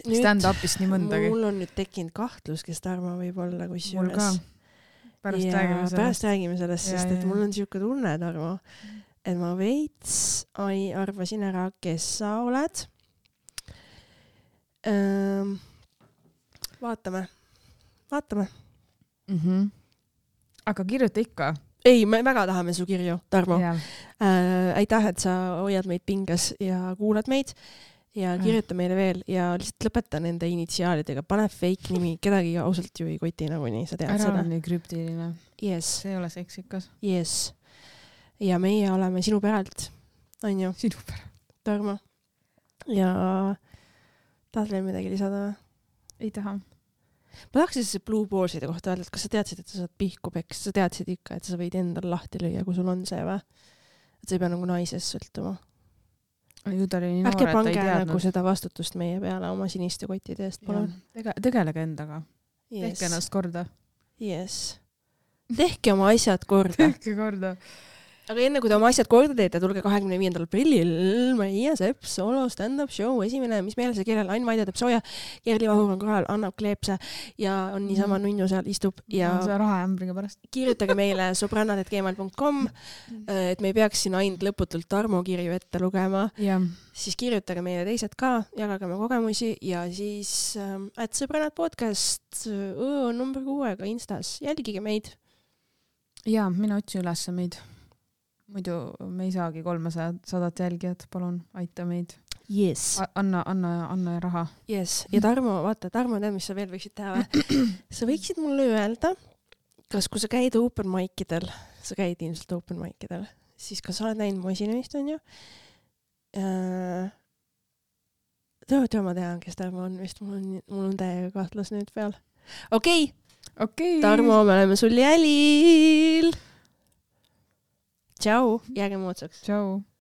Stand-upist nii mõndagi. Mul on nüüd tekkinud kahtlus, kes Tarmo võib olla, kui mul ka. Pärast räägime sellest, sest et mul on siuke tunne, Tarmo, et ma veits arvasin ära, kes sa oled. Vaatame. Aga kirjuta ikka. Ei, me väga tahame su kirju, Tarmo. Aitäh, et sa hoiad meid pinges ja kuulad meid ja kirjuta meile veel ja lihtsalt lõpeta nende initsiaalidega. Pane fake nimi, kedagi ausalt ju ei koti nagunii, sa tead seda. Ära on nii krüptiline. Yes. See ei ole seksikas. Yes. Ja meie oleme sinu peralt, on ju? Sinu peralt. Tarmo. Ja tahad veel midagi lisada? Ei taha. Ma tahaks see Blue Ballside kohta öelda, et kas sa teadsid, et sa saad pihku peks, sa teadsid ikka, et sa võid endal lahti lüüa, kui sul on see või? Et sa ei pea nagu naisest sõltuma. Ju ta oli nii noor, et ta ei teadnud. Ärge pange nagu seda vastutust meie peale oma siniste kottide eest, palun. Tegelege endaga. Yes. Tehke ennast korda. Yes. Tehke oma asjad korda. Tehke korda. Aga enne kui te oma asjad korda teete, tulge 25. aprillil Maria Sepp solo stand-up show esimene, mis meile see kellel Ain Maidja teeb sooja, Kerli Vahur on kohal, annab kleepse ja on niisama nunnu seal istub ja see rahaämbriga pärast. Kirjutage meile sobrannad@gmail.com, et me ei peaks siin ainult lõputult Tarmo kirju ette lugema. Ja. Siis kirjutage meile teised ka, jagage oma kogemusi ja siis @sõbrannad podcast number 6 Instas. Jälgige meid. Ja, mina otsin üles meid. Muidu me ei saagi 300 jälgijat, palun, aita meid. Yes. Anna raha. Yes. Ja Tarmo, vaata, Tarmo, tead, mis sa veel võiksid teha? Sa võiksid mulle öelda, kas kui sa käid open mic'idel, sa käid ilmselt open mic'idel, siis kas sa oled näinud mu esinemist, on ju? Ma tean, kes Tarmo on vist, mul on täiega kahtlus nüüd peal. Okei. Tarmo, me oleme sul jälil. Tšau, jääge moodsaks. Tšau.